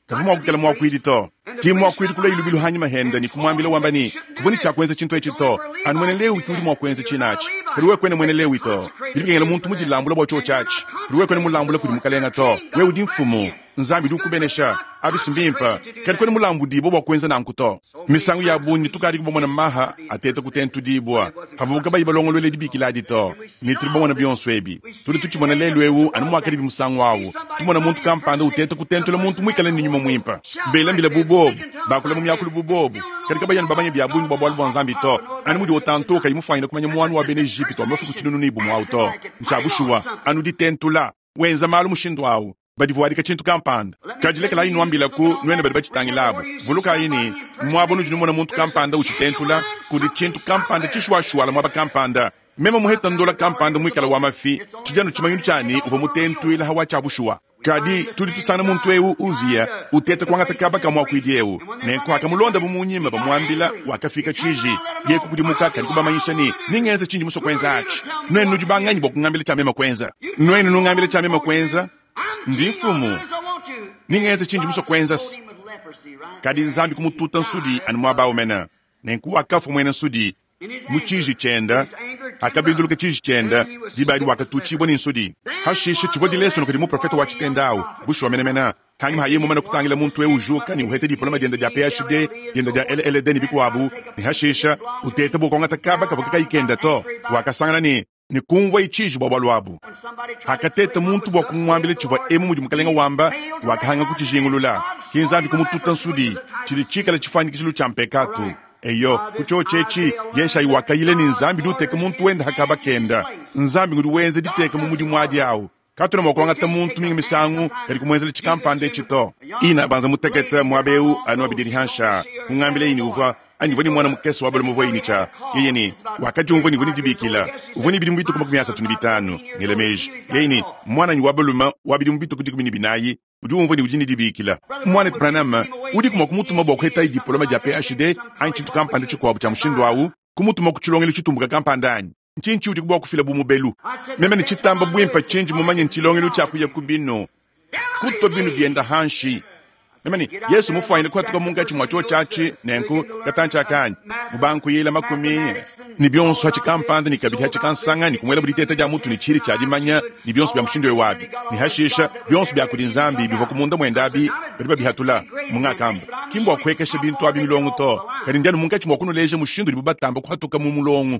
S1: Kavwa mwa kwikala mwakwidi to. Ki mwakwidi kulwaye lubilu hanyima hende ne kumwambila wamba ne, Kuvwa ne cya kwenza cintu eci to. Anu mwena Lewi ki udi mwa kwenza ciine aci. Kadi wewe kwena mwena Lewi to. Bidi bikengela muntu mudilambula bwa cyoci aci. Kadi wewe kwena mulambula kudi Mukalenga to. Wewe udi mfumu. Nzambi udi ukubenesha. Abi's mbimpe. Kadi kwena mulambudibwe bwa kwenza nanku to. Misangu ya bungi tukadiku bamone maha ateta kutentudibua pavuabu kabayi balongoluele dibikila adi to, ne tudi bamone bionso ebi. Tudi tutshimona lelu eu anu muakadibi musangu au, tumona muntu kampanda uteta kutentula muntu muikale ne nyuma muimpe, bela mbila bu bobu, bakula mu miakulu bu bobu, kadi kabayi anu bamanye bia bungi bua bualu bua Nzambi to, anu mudi Otanto kayi mufuanyine kumanya muanu wa bena Ejipitu wa mafuku tshinunu ne bumue au to. Ntshia bushuwa, anu ditentula. Wenza malu mushindu au. Badivuadika tshintu kampanda. Kadi lekelayi nnuambilaku, nuenu badi batshitangila abu, vulukayi ne, muaba unudi numona muntu kampanda utshitentula, kudi tshintu kampanda tshishuashuala muaba kampanda. Meme muheta ndola kampanda muikala wa mafi, tshidi anu tshimanyinu tshia ne, uvua mutentuila ha wa tshia bushuwa. Kadi tudi tusangana muntu eu, Uziya, uteta kuangata kaba ka muakuidi eu. Nenku pakamulondabu mu nyima bamuambila, wakafika tshiji. Yeye kukudimuka kadi kubamanyisha ne, Nengenze tshindi musue kuenza atshi. Nuenu nudi banganyi bua kungambila tshia meme kuenza? Nuenu nungambila tshia meme kuenza? Ndi mfumu. Nengenze tshindi musue kuenza. Kadi Nzambi kumututa nsudi anu muaba au mene. Nenku wakafua muena nsudi mu tshiji tshiende. Hakabinduluka tshiji tshiende, diba adi wakatutshibua ne nsudi. Hashishe tshivua dilesono kudi muprofete wa tshitenda au, bushuwa menemene. Hanyima ha yeye mumane kutangila muntu eu ujuka ne uheta diploma diende dia PhD, diende dia LLD ne bikuabu, ne hashishe uteta bua kuangata kaba kavua kakayi kende to, wakasangana ne, ne kumvuaye tshiji bua bualu abu. Hakateta muntu bua kumuambila tshivua emu mudi Mukelenge wamba, wakahanga kutshijingulula. Ke Nzambi kumututa nsudi, tshidi tshikale tshifuanyikishilu tshia mpekatu. Eyo, ku tshiotshi etshi, Yeshayi wakayila ne Nzambi udi uteka muntu wende ha kaba kenda. Nzambi ngudi wenza diteka mu mudimu adi au. Katuena mua kuangata muntu minga misangu kadi kumuenzela tshikampanda etshi to. Ina banza mutekete muaba eu anu abidi dihansha, kungambilaye ne uvua anyi uvua ne muana mukese wa balume uvua ne tshia yeye ne wakadiumvua ne uvua ne dibikila uvua ne bidimu bitue ku 35, ngela meji yeye ne muananyi wa balume wa bidimu bitue ku 14 udi umvua ne udi ne dibikila. Muanetu Branham, udiku mua kumutuma bua kuhetaye diploma dia PhD anyi tshintu kampanda tshikuabu tshia mushindu au, kumutuma ku tshilongelu tshitumbuka kampanda anyi? Ntshinyi tshiudi bua kufila bu mubelu? Meme ne tshitamba buimpe tshindi mumanye ntshilongelu tshia kuya ku binu, kutua binu bienda hanshi. Meme ne Yesu mufuanyine kuhatuka munkatshi mua tshiotshi atshi, nenku katantshi aka anyi mubankuyila makumi ne bionso hatshi kampanda ne kabidi hatshi kansanga ne kumuela bu diteta dia mutu ne tshihidi tshia dimanya ne bionso bia mushindu eu abi, ne hashisha bionso bia kudi Nzambi bivua ku munda muende abi badi babihatula. Mungakamba, ki mbua kuhekesha bintu abi milongo to, kadi ndi anu munkatshi mua kunuleja mushindu udibu batamba kuhatuka mu mulongo.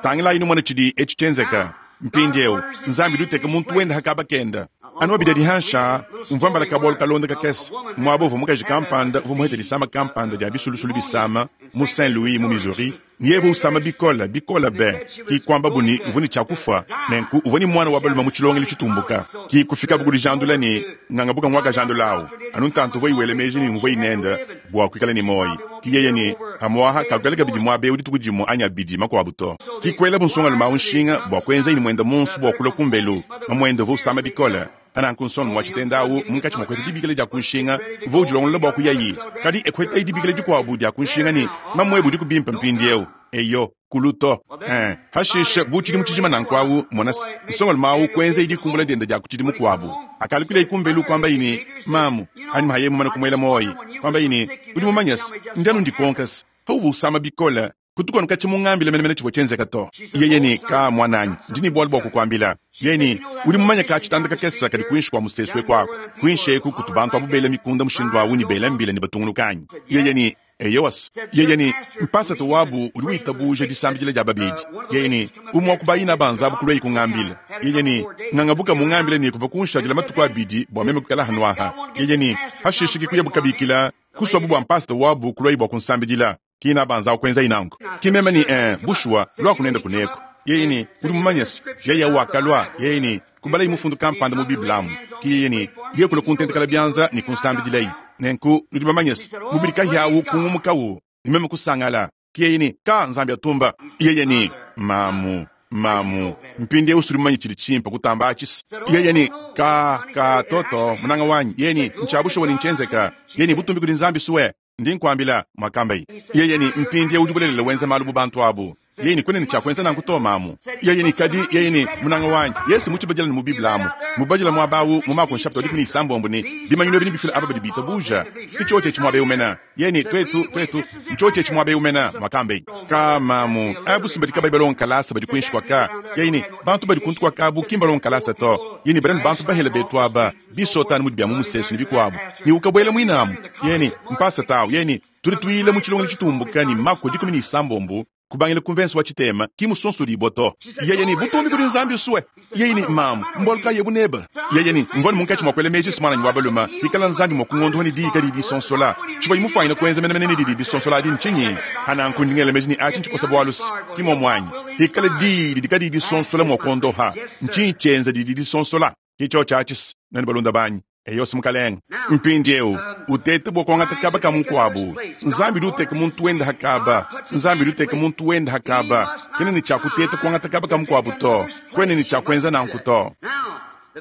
S1: Tangilayi numone tshidi etshi tshienzeka mpindieu. Nzambi udi uteka muntu wende ha kaba kende. Anu abidi adi hanshi aa, mvua mbala kabualu kalonda kakese muaba uvua mukaji kampanda uvua muhete disama kampanda dia bisulusulu bisama mu Saint Louis mu Missouri, ne yeye uvua usama bikole bikole be, ki kuambabu ne uvua ne tshia kufua. Nenku uvua ne muana wa balume mu tshilongelu tshitumbuka, ki kufikabu ku dijandula ne ngangabuka nguakajandula au anu ntantu uvua wela meji ne nguvua nende bua kuikala ne muoyo. Ki yeye ne pamu'apa kakuikala kabidi muaba eu dituku dimue anyi abidi makuabu to. Ki kuelabu nsongalume au nshinga bua kuenzaye ne muende muonso bua kulua kumbelu. Mamuende uvua usama bikole. Pa nanku nsongalume wa tshitenda au munkatshi mua kuheta dibikila dia ku nshinga uvua udilongolola bua kuyaye. Kadi e kuhetaye dibikila dikuabu dia ku nshinga ne, Mamuebe udiku bimpe mpindieu. Eyo, kulu to. Ee, hashishe bu tshidimu tshijima nanku au, mona se, nsongalume au kuenzaye dikumbula diende dia ku tshidimu kuabu. Akalukila kumbelu kuambaye ne, Mamu, anyima haye mumane kumuela muoyo, kuambaye ne, Udi mumanye se, ndi anu ndikonka se, pauvua usama bikole, kutuku anu katshia mungambile menemene tshivua tshienzeka to. Yeye ne, Ka, muananyi, ndi ne bualu bua kukuambila. Yeye ne, Udi mumanye ka tshitanda kakese kadi kuinshi kua musesu eku aku, kuinshi eku kutu bantu abu bela mikunda mushindu au ne bela mbila ne batungunuka anyi? Yeye ne, Eyowa se, yeye ne, mpasata wabu udi witabuja disambidila dia babedi. Yeye ne, umue wa ku bayina ba nzabu kuluaye kungambila. Yeye ne, ngangabuka mungambile ne kuvua kunshadila matuku abidi bua meme kuikala hanu aha. Yeye ne, hashishe ke kuyabu kabikila, kusuabu bua mpasata wabu kuluaye bua kunsambidila. Kina banzawu kuenzaye nanku. Ki meme ne, ee, bushuwa, luaku nende kuneku. Yeye ne, udi mumanye se, yeye wakalua, yeye ne, kubalaye mufundu kampanda mu Bible amu. Ki yeye ne, yeye kulua kuntentekela bianza ne kunsambidilaye. Nenku nudi bamanye se, mubidi kahia kungumukawu, ne meme kusangala. Ki yeye ne, ka Nzambi atumba. Yeye ne, mamu, mamu, mpindieu sudi mumanye tshidi tshimpe kutamba atshi se. Yeye ne, ka, ka, toto, munanga wanyi. Yeye ne, ntshia bushuwa ne ntshienzeka. Yeye ne, butumbi kudi Nzambi sue. Ndi nkuambila, muakambaye. Yeye ne, mpindieu udi bulelela wenza malu bu bantu abu. Yeye ne, Kwena ne cya kwenza nanku to, maamu. Yeye ne, Kadi, yeye ne, munanga wanyi, Yesu mucibadila ne mu Bible amu, mubadila mwaba awu mu Mako nshapita wa 16 ne, Bimanyinu ebi nebifile aba badi biitabuuja. S'ki cyoci eci mwaba ewu mena. Yeye ne, Twetu, twetu, ncyoci eci mwaba ewu mena, mwakambeyi. Kaa, maamu, abu s'mbadi kabayi balonga kalaasa badi kwinshi kwaka. Yeye ne, Bantu badi kuntu kwaka abu ki mbalonga kalaasa to. Yeye ne, Badi anu bantu bahele beetu aba, bisoota anu mudi bya mu museesu ne bikwabo. Ne ukabwela mwine amu. Yeye ne, Mpaasata awu. Yeye ne, Tudi tuyila mu tshilongelu tshitumbuka ne Mako 16 kubangila ku mvense wa tshitema, ki musonsodibua to. Yeye ne, Butumbi kudi Nzambi usue. Yeye ne, Mamu, mbualu kayi ebu nebe? Yeye ne, Mvua ne munkatshi mua kuela meji se muananyi wa balume, bikala Nzambi mua kungondoha ne diyi kadiyi disonsola, tshivuaye mufuanyine kuenza menemene ne didi disonsola adi ntshinyi? Pa nanku ndi ngela meji ne atshi ntshikosa bualu-se, ki muomu anyi? Hikala diyi didi kadiyi disonsola mua kuondoha, ntshinyi tshienza didi disonsola? Ki tshiotshi atshi-se, nuenu balunda banyi. Eyo's, mukalenge. Mpindiewu, utete bua kuangata kaba ka mukuabu. Nzambi udi uteka muntu wende ha kaba. Nzambi udi uteka muntu wende ha kaba. Kena ne tshia kuteta kuangata kaba ka mukuabu to. Kuena ne tshia kuenza nanku to.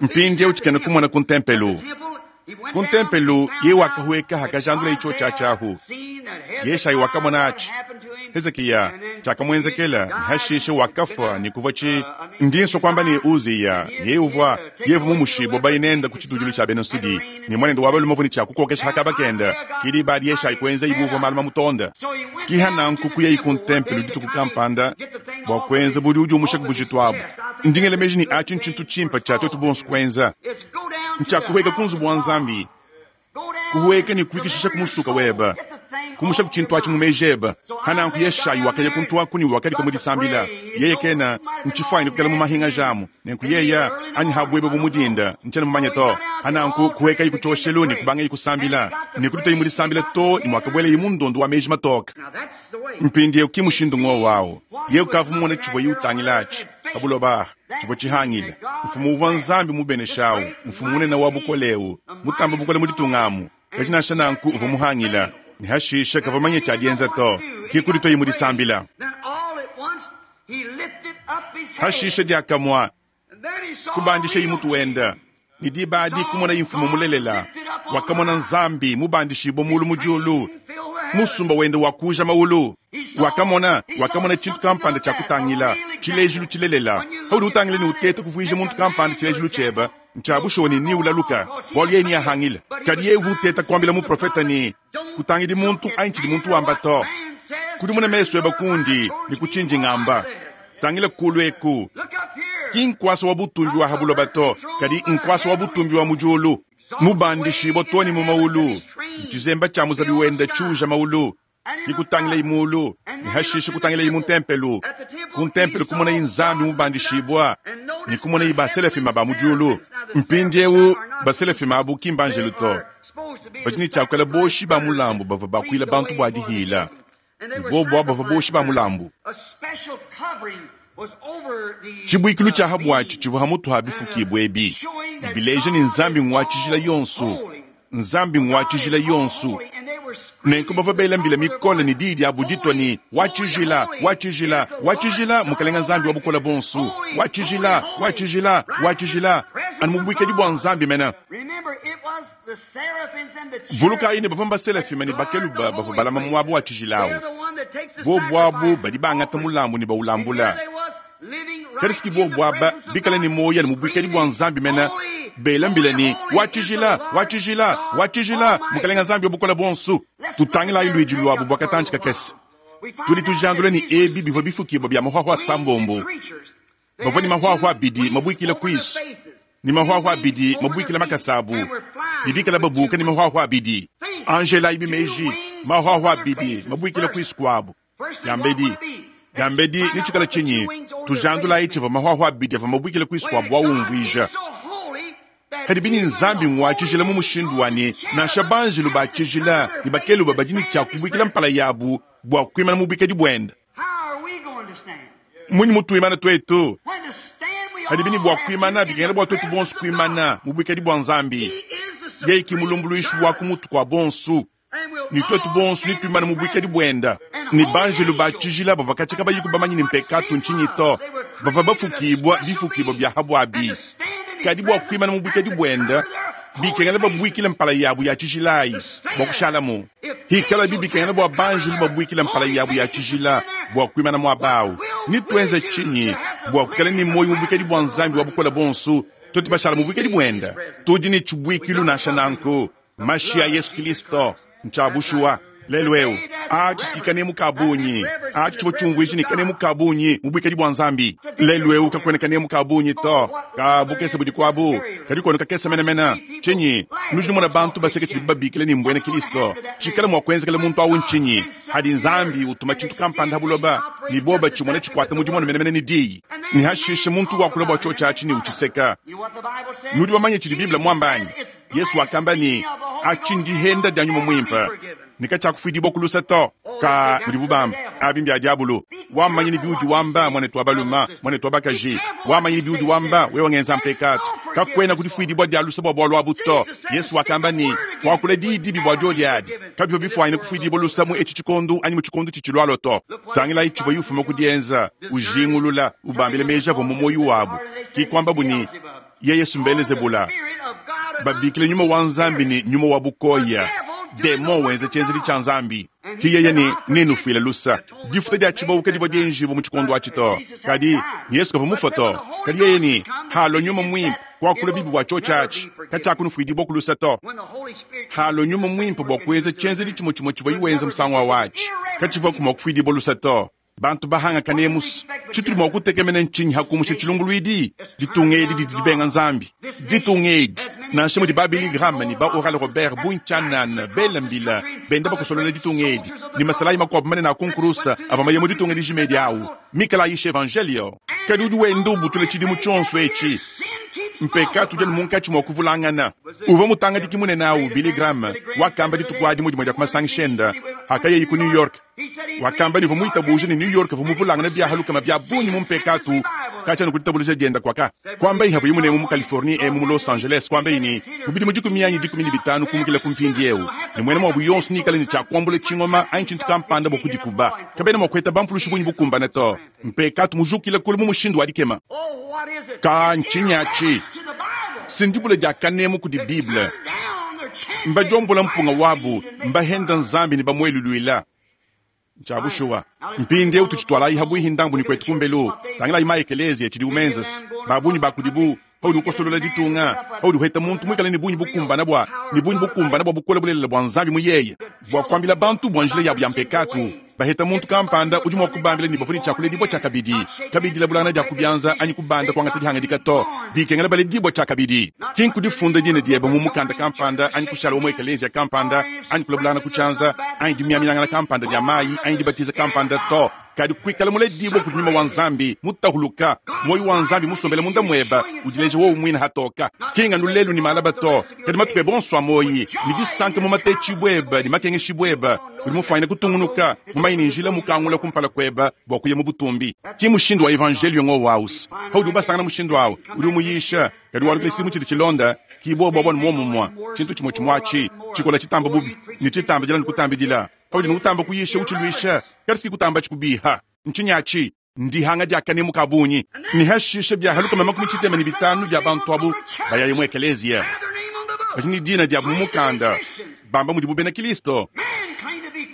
S1: Mpindiewu tshikena kumona ku ntempelu. Ku ntempelu, yeye wakahueka hakajandulaye tshiotshi atshi ahu. Yeshayi wakamona atshi. Hezikiya, tshiakamuenzekela, ne hashishe wakafua ne kuvua tshi. Ndi nsua kuamba ne Uziya, yeye uvua, yeye uvua mumushibue baye nende ku tshitudilu tshia bena nsudi, ne muanende wa balume uvua ne tshia kukokesha ha kaba kende. Ke diba adi Yeshayi kuenzayi bu uvua malu mamutonde. Ki ha nanku kuyayi ku ntempelo dituku kampanda bua kuenza bu udi udiumusha ku bujitu abu. Ndi ngela meji ne atshi ntshintu tshimpe tshia tuetu bonso kuenza, ntshia kuhueka ku nzubu wa Nzambi. Kuhueka ne kuikishisha ku musuka webe, kumusha ku tshintu atshi mu meji ebe. Hananku Yeshayi wakaya kuntu aku ne wakadika mu disambila. Yeye kena ntshifuanyine kuikala mu mahingaja amu, nenku yeya anyi ha buebe bu mudinda, ntshiena mumanye to. Hananku kuhuekayi ku tshioshelu ne kubangayi kusambila, ne kuditayi mu disambila to ne muakabuelayi mu ndondo wa meji matoke. Mpindieu ki mushindu ngowu au. Yeye ukavua mumone tshivuaye utangila atshi pa buloba aha. Tshivua tshihangile. Mfumu uvua Nzambi mubenesha au, mfumu munene wa bukole eu, mutambe bukole mu ditunga amu. Kadi nansha nanku uvua muhangila, ne hashishe kavua manye tshia dienza to, ke kudituaye mu disambila. Hashishe diakamue kubandishaye mutu wende, ne diba adi kumonaye mfumu mulelela. Wakamona Nzambi mubandishibue mulu mu diulu, musumba wende wakuuja mawulu. Wakamona, wakamona tshintu kampanda tshia kutangila, tshilejilu tshilelela. Paudi utangila ne uteta kuvuija muntu kampanda tshilejilu tshiebe, ntshia bushuwa ne neulaluka, bualu yeye neahangile. Kadi yeye uvua uteta kuambila muprofete ne, Kutangidi muntu anyi tshidi muntu wamba to. Kudimuna mesu ebe kundi ne ku tshindi ngamba. Tangila kulu eku. Ki nkuasa wa butumbi wa ha buloba to, kadi nkuasa wa butumbi wa mu diulu. Mubandishibua too ne mu mawulu, ne tshizemba tshia muzabi wende tshiuja mawulu. Ne kutangilayi mulu, ne hashishe kutangilayi mu ntempelo. Ku ntempelo kumonayi Nzambi mubandishibua, ne kumonayi baselafima ba mu diulu. Mpindieu baselafima abu ki mbanjelu to. Badi ne tshia kuikala boshi ba mulambu bavua bakuila bantu bua dihila, ne bobu abu bavua boshi ba mulambu. Tshibuikilu tshia ha buatshi tshivua ha mutu ha bifukibua ebi, ne bileja ne Nzambi ngua tshijila yonso. Nzambi ngua tshijila yonso. Nenku bavua bela mbila mikole ne diyi diabu ditua ne, Wa tshijila, wa tshijila, wa tshijila, Mukalenge Nzambi wa Bukole Buonso, wa tshijila, wa tshijila, wa tshijila, anu mu buikadi bua Nzambi mene. Vulukayi ne, bavua mbaselafima ne bakeluba bavua balama muaba wa tshijila au. Bobu abu badi bangata mulambu ne bawulambula. Kadi si bobu aba bikale ne muoyo anu mu buikadi bua Nzambi mene, bela mbila ne, Wa tshijila, wa tshijila, wa tshijila, Mukalenge Nzambi wa Bukole Buonso. Tutangilayi luidi luabu bua katantshi kakese. Tudi tujandula ne, ebi bivua bifukibua bia mahuahua asambombo. Bavua ne mahuahua abidi mabuikila kuisu ne mahuahua abidi mabuikila makasa abu, ne bikala babuka ne mahuahua abidi. Anjelayibi meji, mahuahua abidi mabuikila kuisu kuabu. Diambedi, diambedi netshikale tshinyi? Tujandulayi tshivua mahuahua abidi avua mabuikile kuisu kua bua umvuija. Kadi bini Nzambi ngua tshijila mu mushindu wa ne nansha banjelu ba tshijila ne bakeluba badi ne tshia kubuikila mpala yabu bua kuimana mu buikadi buende. Mmunyi mutuimana tuetu? Padibi ne bua kuimana, bikengela bua tuetu bonso kuimana mu buikadi bua Nzambi. Yeye ki mulumbuluishi wa ku mutu kua bonso. Ne tuetu bonso netuimane mu buikadi buenda. Ne banjelu ba tshijila bavua katshia kabayiku bamanye ne mpekatu ntshinyi to, bavua bafukibua bifukibua bia ha buabi. Kadi bua kuimana mu buikadi buenda, bikengela babuikile mpala yabu ya tshijila ayi bua kushalamu. Hikalabi bikengela bua banjelu babuikile mpala yabu ya tshijila bua kuimana muaba au? Netuenze tshinyi bua kuikala ne muoyo mu buikadi bua Nzambi wa Bukole Buonso tuetu bashala mu buikadi buende? Tudi ne tshibuikilu nansha nanku, mashi a Yesu Kristo. Ntshia bushuwa. Lelu eu, atshi ki kanemu ka bungi. Atshi tshivua tshiumvuija ne kanemu ka bungi mu buikadi bua Nzambi. Lelu eu kakuena kanemu ka bungi to, ka bukese budi kuabu, kadi kuenu kakese menemene. Tshinyi? Nudi numona bantu baseka tshidibu babikila ne mbuena Kristo. Tshikala mua kuenzekela muntu au ntshinyi? Hadi Nzambi utuma tshintu kampanda ha buloba, ne bobo batshimona tshikuata mudimu anu menemene ne diyi, ne hashishe muntu wakula bua tshiotshi atshi ne utshiseka. Nudi bamanye tshidi Bible muamba anyi? Yesu wakamba ne, Atshi ndihenda dia Nyuma Muimpe, ne katshiakufuidibua ku luse to. Ka mudibu bamba, abi mbia diabulu. Wamanya ne biudi wamba, muanetu wa balume, muanetu wa bakaji. Wamanya ne biudi wamba, wewe ngenza mpekatu. Kakuena kudifuidibua dia luse bua bualu abu to. Yesu wakamba ne, Kuakula diyi dibi bua diodi adi kabivua bifuanyine kufuidibua luse mu etshi tshikondo anyi mu tshikondo tshitshilualua to. Tangilayi tshivuaye ufuma ku dienza, ujingulula, ubambila meji avua mu muoyo wabu. Ki kuambabu ne, Yeye Mbelezebula, babikila nyuma wa Nzambi ne nyuma wa bukoya, demon wenza tshienzedi tshia Nzambi. Ki yeye ne nenufuile lusa. Difuta dia tshibawu kadivua dienjibua mu tshikondo atshi to, kadi Yesu kavua mufue to. Kadi yeye ne halua nyuma muimpe kuakula bibi bua tshiotshi atshi, katshiakunufuidibua ku lusa to. Halua nyuma muimpe bua kuenza tshienzedi tshimue tshimue tshivuaye wenza musangu awu atshi, katshivuaku mua kufuidibua lusa to. Bantu bahanga kanemus. Tshitudi mua kutekemena ntshinyi ha kumusha tshilumbuluidi? Ditunga edi didi dibenga Nzambi. Ditunga edi, nansha mudi ba Billy Graham ne ba Oral Robert bungi tshianana bela mbila benda bakosolola ditunga edi, ne masalayi makuabu manene a ku nkurusa avua maye mu ditunga dijima edi au mikale ayisha evanjelio. Kadi udi wenda ubutula tshidimu tshionso etshi. Mpekatu udi anu munkatshi mua kuvulangana. Uvua mutangadiki munene au, Billy Graham, wakamba dituku adi mu dimue dia ku masangisha ende hakayayi ku New York. Wakamba ne uvua muitabuje ne New York uvua muvulangane biaha lukama bia bungi mu mpekatu katshia anu ku ditabuluja dienda kuaka. Kuambayi havuaye munemu mu Californie emu mu Los Angeles, kuambayi ne, mu bidimu dikumi anyi 15 kumukila ku mpindieu, ne muena muabu yonso neikale ne tshia kuambula tshingoma anyi tshintu kampanda bua kudikuba. Kabena mua kuheta bampulushi bungi bukumbane to. Mpekatu mujukile kulu mu mushindu wa dikema. Ka ntshinyi atshi? Si ndibula dia kanemu kudi Bible. Mbadiombola mpunga wabu, mbahenda Nzambi ne bamueluluila. Ntshia bushuwa. Mpindieu tutshitualayi habuihi ndambu ne kuetu kumbelu. Tangilayi ma ekeleziya tshidiwu menzes. Ba bungi ba kudibu, paudi ukosolola ditunga, paudi uheta muntu muikale ne bungi bukumbana bua ne bungi bukumbana bua bukole bulelela bua Nzambi mu yeye, bua kuambila bantu bua njila yabu ya mpekatu, baheta muntu kampanda udi mua kubambila ne bavua ne tshia kuledibua tshiakabidi, kabiyi dilabulangana dia ku bianza anyi kubanda kuangata dihangadika to, bikengela baledibua tshiakabidi. Ki nkudifunda dina diebe mu mukanda kampanda anyi kushala wa mu ekeleziya kampanda anyi kulabulangana ku tshianza anyi dimiaminangana kampanda dia mayi anyi dibatiza kampanda to, kadi kuikala muledibue kudi nyuma wa Nzambi, mutahuluka, muoyo wa Nzambi musombele munda muebe, udileja wowu muine hatoka. Ki nganu lelu ne malaba to, kadi matuku ebe onso a muoyi, ne disanka mu matetshibua ebe ne makengeshibua ebe, udi mufuanyine kutungunuka, mumanye ne njila mukangula kumpala kuebe bua kuya mu butumbi. Ki mushindu wa evanjelio ngowu aus. Paudi ubasangana mushindu au, udi umuyisha, kadi walukila tshidimu tshidi tshilonda, ki bobu abu anu muomumue, tshintu tshimue tshimue atshi, tshikola tshitamba bubi, ne tshitambidila ne kutambidila. Paudi utamba kuyisha utshiluisha, kadi si kutamba tshikubiha. Ntshinyi atshi? Ndihanga dia kanemu ka bungi. Ne hashishe biaha 65 bia bantu abu bayaye mu ekeleziya, badi ne dina diabu mu mukanda, bamba mudibu bena Kristo.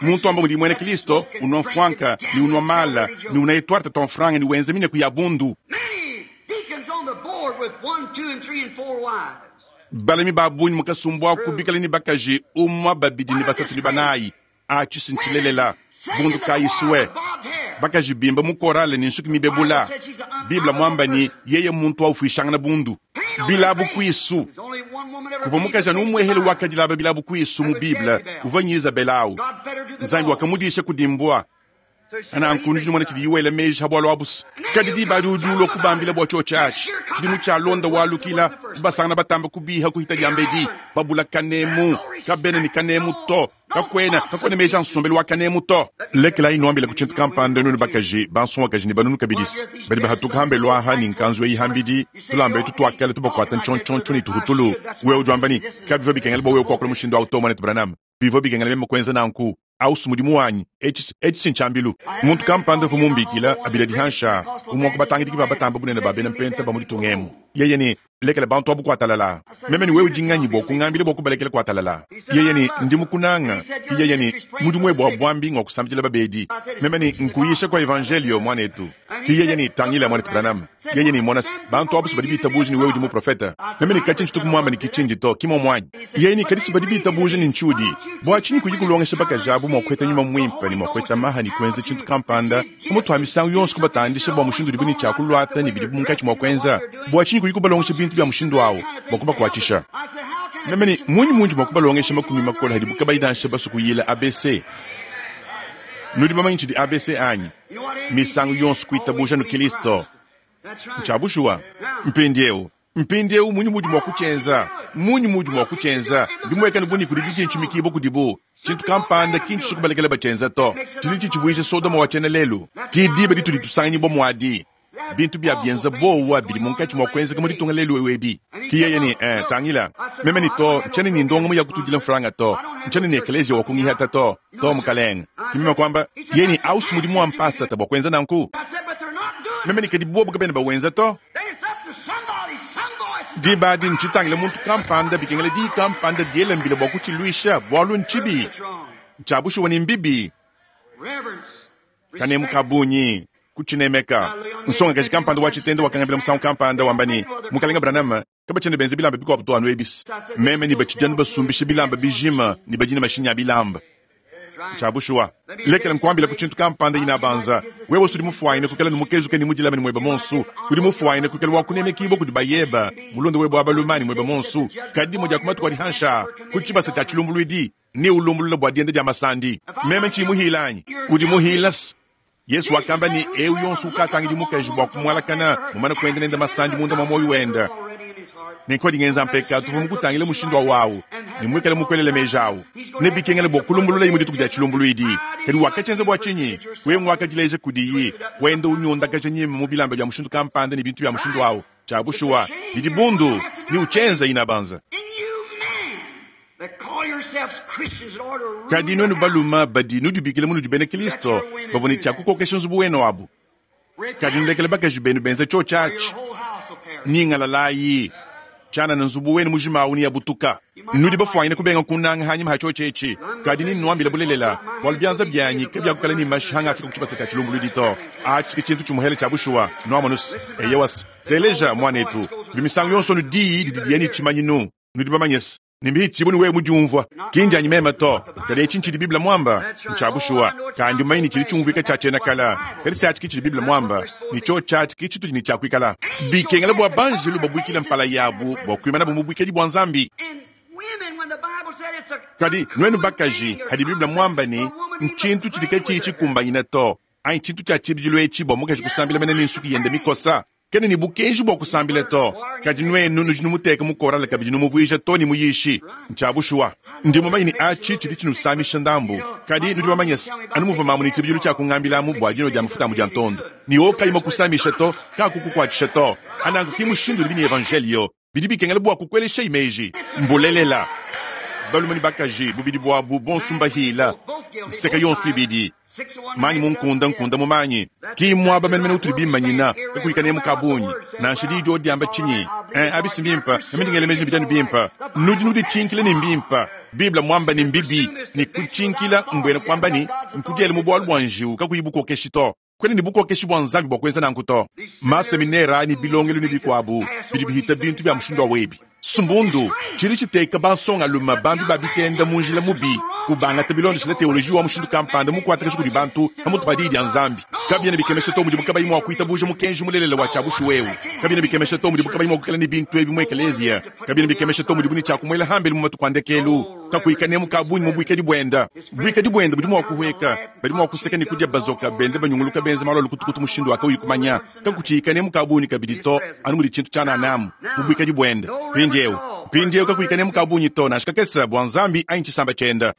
S1: Muntu wamba mudi muena Kristo, unua mfuanka ne unua mala ne unaya tuarte tua mfranga ne wenza mineku ya bundu. Balami ba bungi mu kasumbu aku bikale ne bakaji umue, babidi ne basatu ne banayi. Atshi si ntshilelela. Bundu kayi sue bakaji bimba mu korale ne nsuki mibebula. Bible muamba ne, yeye muntu wa ufuishangana bundu. Bilabu kuisu. Kuvua mukaji anu umuehele wakadilaba bilabu kuisu mu Bible, uvua Nyizabela au. Nzambi wakamudisha kudi mbua. Nanku nudi numona tshidiyi wela meji ha bualu abusu. Kadi diba adi udi ulua kubambila bua tshiotshi atshi. Tshidimu tshialonda walukila, kubasangana batamba kubiha kuhita diambedi, babula kanemu, kabena ne kanemu to, kakuena, kakuena meji a nsombelu wa kanemu to. Lekelayi nuambilaku tshintu kampanda nuenu bakaji, bansongakaji ne banunu kabidisi badi bahatuka hambelu aha ne nkanzu eyi hambidi, tulamba etu tua kale tubakuata ntshontshontshio ne tuhutulu. Wewe udi wamba ne, Kabivua bikengela bua wewe kuakula mushindu au to, muanetu Branham. Bivua bikengela meme kuenza nanku. Au si mudimu wanyi. Etshi, etshi si ntshiambilu. Muntu kampanda uvua mumbikila, abila dihansha, umue wa ku batangidiki ba batamba bunene ba bena mpenta ba mu ditunga emu. Yeye ne, Lekela bantu abu kuatalala. Meme ne wewe udi nganyi bua kungambila bua kubalekela kuatalala? Yeye ne, Ndi mukunanga. Ke yeye ne, Mudimu webe wa buambi ngua kusambidila babedi. Meme ne, Nkuyisha kua Evanjeliyo, muanetu. Ke yeye ne, Tangila, muanetu Branham. Yeye ne, Mona se, bantu abu si badi bitabuja ne wewe udi muprofete. Meme ne, Katshi ntshitu kumuamba ne ki tshindi to, ki muomu anyi? Yeye ne, Kadi si badi bitabuja ne ntshiudi. Bua tshinyi kuyi kulongesha bakaji abu mua kuheta Nyuma Muimpe ne mua kuheta maha ne kuenza tshintu kampanda, pamutu pa misangu yonso kubatandisha bua mushindu udibu ne tshia kuluata ne bidibu munkatshi mua kuenza? Bua tshinyi kuyi kubalongesha bintu bia mushindu au bua kubakuatshisha? Meme ne, Mmunyi mundi mua kubalongesha makumi makole hadibu kabayi nansha basue kuyila ABC? Nudi bamanye tshidi ABC anyi? Misangu yonso kuitabuja anu Kilisto. Ntshia bushuwa. Mpindieu, Mpindieu munyi muudi mua kutshienza? Mmunyi muudi mua kutshienza? Bimuekane bu ne kudi ditshintshimikibua kudibu. Tshintu kampanda ki ntshisua kubalekela batshienza to. Tshidi tshitshivuija Sodoma wa tshiena-lelu. Ke diba ditudi tusanganyibua muadi. Bintu bia bienza buowa bidi munkatshi mua kuenzeka mu ditunga lelu'eu ebi. Ke yeye ne, Eh, tangila, meme ne to, ntshiena ne ndongamu ya kutudila mfranga to. Ntshiena ne ekeleziya wa kungihata to. To, mukalenge. Ke meme kuamba. Yeye ne, Au si mudimu wa mpasata bua kuenza nanku. Meme ne, Kadi buobu kabena bawenza to. Diba adi ntshitangile muntu kampanda, bikengela diyi kampanda diela mbila bua kutshiluisha, bualu ntshibi. Ntshia bushuwa ne mbibi. Kanemu ka bungi, kutshinemeka. Nsongakaji kampanda wa tshitende wakangambila musangu kampanda, wamba ne, Mukalenge Branham, kabatshiena benza bilamba bikuabu to anu ebi. Meme ne batshidi anu basumbisha bilamba bijima ne badi ne mashinyi a bilamba. Ntshia bushuwa. Lekela nkuambilaku tshintu kampanda, inabanza. Wewe udi mufuanyine kuikala ne mukezuke ne mudilame ne muebe muonso. Udi mufuanyine kuikala wa kunemekibua kudi bayeba, mulunda webe wa balume ne muebe muonso. Kadi dimue dia ku matuku adi hanshi aa, ku tshibasa tshia tshilumbuluidi, neulumbulule bua dienda dia masandi. Meme ntshiyi muhila anyi? Udi muhila. Yesu wakamba ne, Eu yonso ukatangidi mukaji bua kumualakana, mumane kuenda nende masandi munda mua muoyo wende. Nenku adi ngenza mpekatu uvua mukutangile mushindu wa wawu ne muikale mukuelele meji awu. Nebikengele bua kulumbululayi mu dituku dia tshilumbuluidi. Kadi wakatshienza bua tshinyi? Wewe nguakadileja kudiyi, wenda unyondakaja nyima mu bilamba bia mushindu kampanda ne bintu bia mushindu awu. Tshia bushuwa, bidi bundu, ne utshienza inabanza. Kadi nuenu balume badi nudibikila munudi bena Kristo bavua ne tshia kukokesha nzubu wenu abu, kadi nulekele bakaji benu benza tshiotshi atshi, nyingalalayi tshianana nzubu wenu mujima awu neabutuka. Nudi bafuanyine kubenga kunanga hanyima ha tshiotshi etshi, kadi ninnuambile bulelela, bualu bianza bianyi kabiakukala ne mashi hangafika ku tshibasa tshia tshilumbuluidi to. Atshi ke tshintu tshimuhele tshia bushuwa, nuamonus. Eyowas, teleja, muanetu, kudi misangu yonso anu diyi didi diya ne tshimanyinu. Nudi bamanye se, ne mbihitshibue ne wewe mudiumvua, ki ndianyi meme to, kadi etshi ntshidi Bible muamba, ntshia bushuwa. Kandi mumanye ne tshidi tshiumvuika tshia tshiena kala, kadi se atshi ke tshidi Bible muamba, ne tshiotshi atshi ke tshitudi ne tshia kuikala. Bikengela bua banjelu babuikile mpala yabu bua kuimanabu mu buikadi bua Nzambi. Kadi nuenu bakaji, hadi Bible muamba ne, ntshintu tshidi katshiyi tshikumbanyine to, anyi tshintu tshia tshibidilu etshi bua mukaji kusambila mene ne nsuki yende mikosa, Kena ne bukenji bua kusambila to, kadi nuenu nudi numuteka mu korale kabidi numuvuija to ne muyishi. Ntshia bushuwa. Ndi mumanye ne atshi tshidi tshinusamisha ndambu, kadi nudi bamanye se, anu muvua mamu ne tshibidilu tshia kungambilamu bua dinua dia mafuta a mudiantondo, ne owu kayi mua kusamisha to, kaakukukuatshisha to. Ananku ki mushindu udibi ne Evanjeliyo. Bidi bikengela bua kukueleshayi meji. Mbulelela, balume ne bakaji bubidi buabu bonso mbahila nseka yonso ibidi. Manyi mu nkunda, nkunda mu manyi. Ki mmuaba menemene utudi bimanyina, kakuyi kanemu ka bungi. Nansha diyi diodi diamba tshinyi, eh, abi si mbimpe, meme ndi ngela meji ne bidi anu bimpe. Nudi nuditshinkila ne mbimpe. Bible mmuamba ne mbibi, ne kutshinkila mbuena kuamba ne, nkudiela mu bualu bua njiwu kakuyi bukokeshi to. Kuena ne bukokeshi bua Nzambi bua kuenza nanku to. Maseminere ne bilongelu ne bikuabu bidi bihita bintu bia mushindu wa webi. Sumbundu tshidi tshiteka bansongalume bambi ba bitenda mu njila mubi, kubangata bilondeshile teoloji wa mushindu kampanda mukuatakaja kudi bantu pamutu pa Diyi dia Nzambi. Kabiena bikemesha to mudibu kabayi mua kuitabuja mukenji mulelela wa tshia bushuwa eu. Kabiena bikemesha to mudibu kabayi mua kuikala ne bintu ebi mu ekeleziya. Kabiena bikemesha to mudibu ne tshia kumuela hambelu mu matuku a ndekelu, kakuyi kanemu ka bungi mu buikadi buende. Buikadi buende budi mua kuhueka, badi mua kuseka ne kudia bazoka bende banyunguluka benza malu a lukutukutu mushindu wa kauyi kumanya, kakutshiyi kanemu ka bungi kabidi to, anu mudi tshintu tshianana amu mu buikadi buende mpindieu. Mpindieu kakuyi kanemu ka bungi to, nansha kakese, bua Nzambi anyi tshisamba tshiende.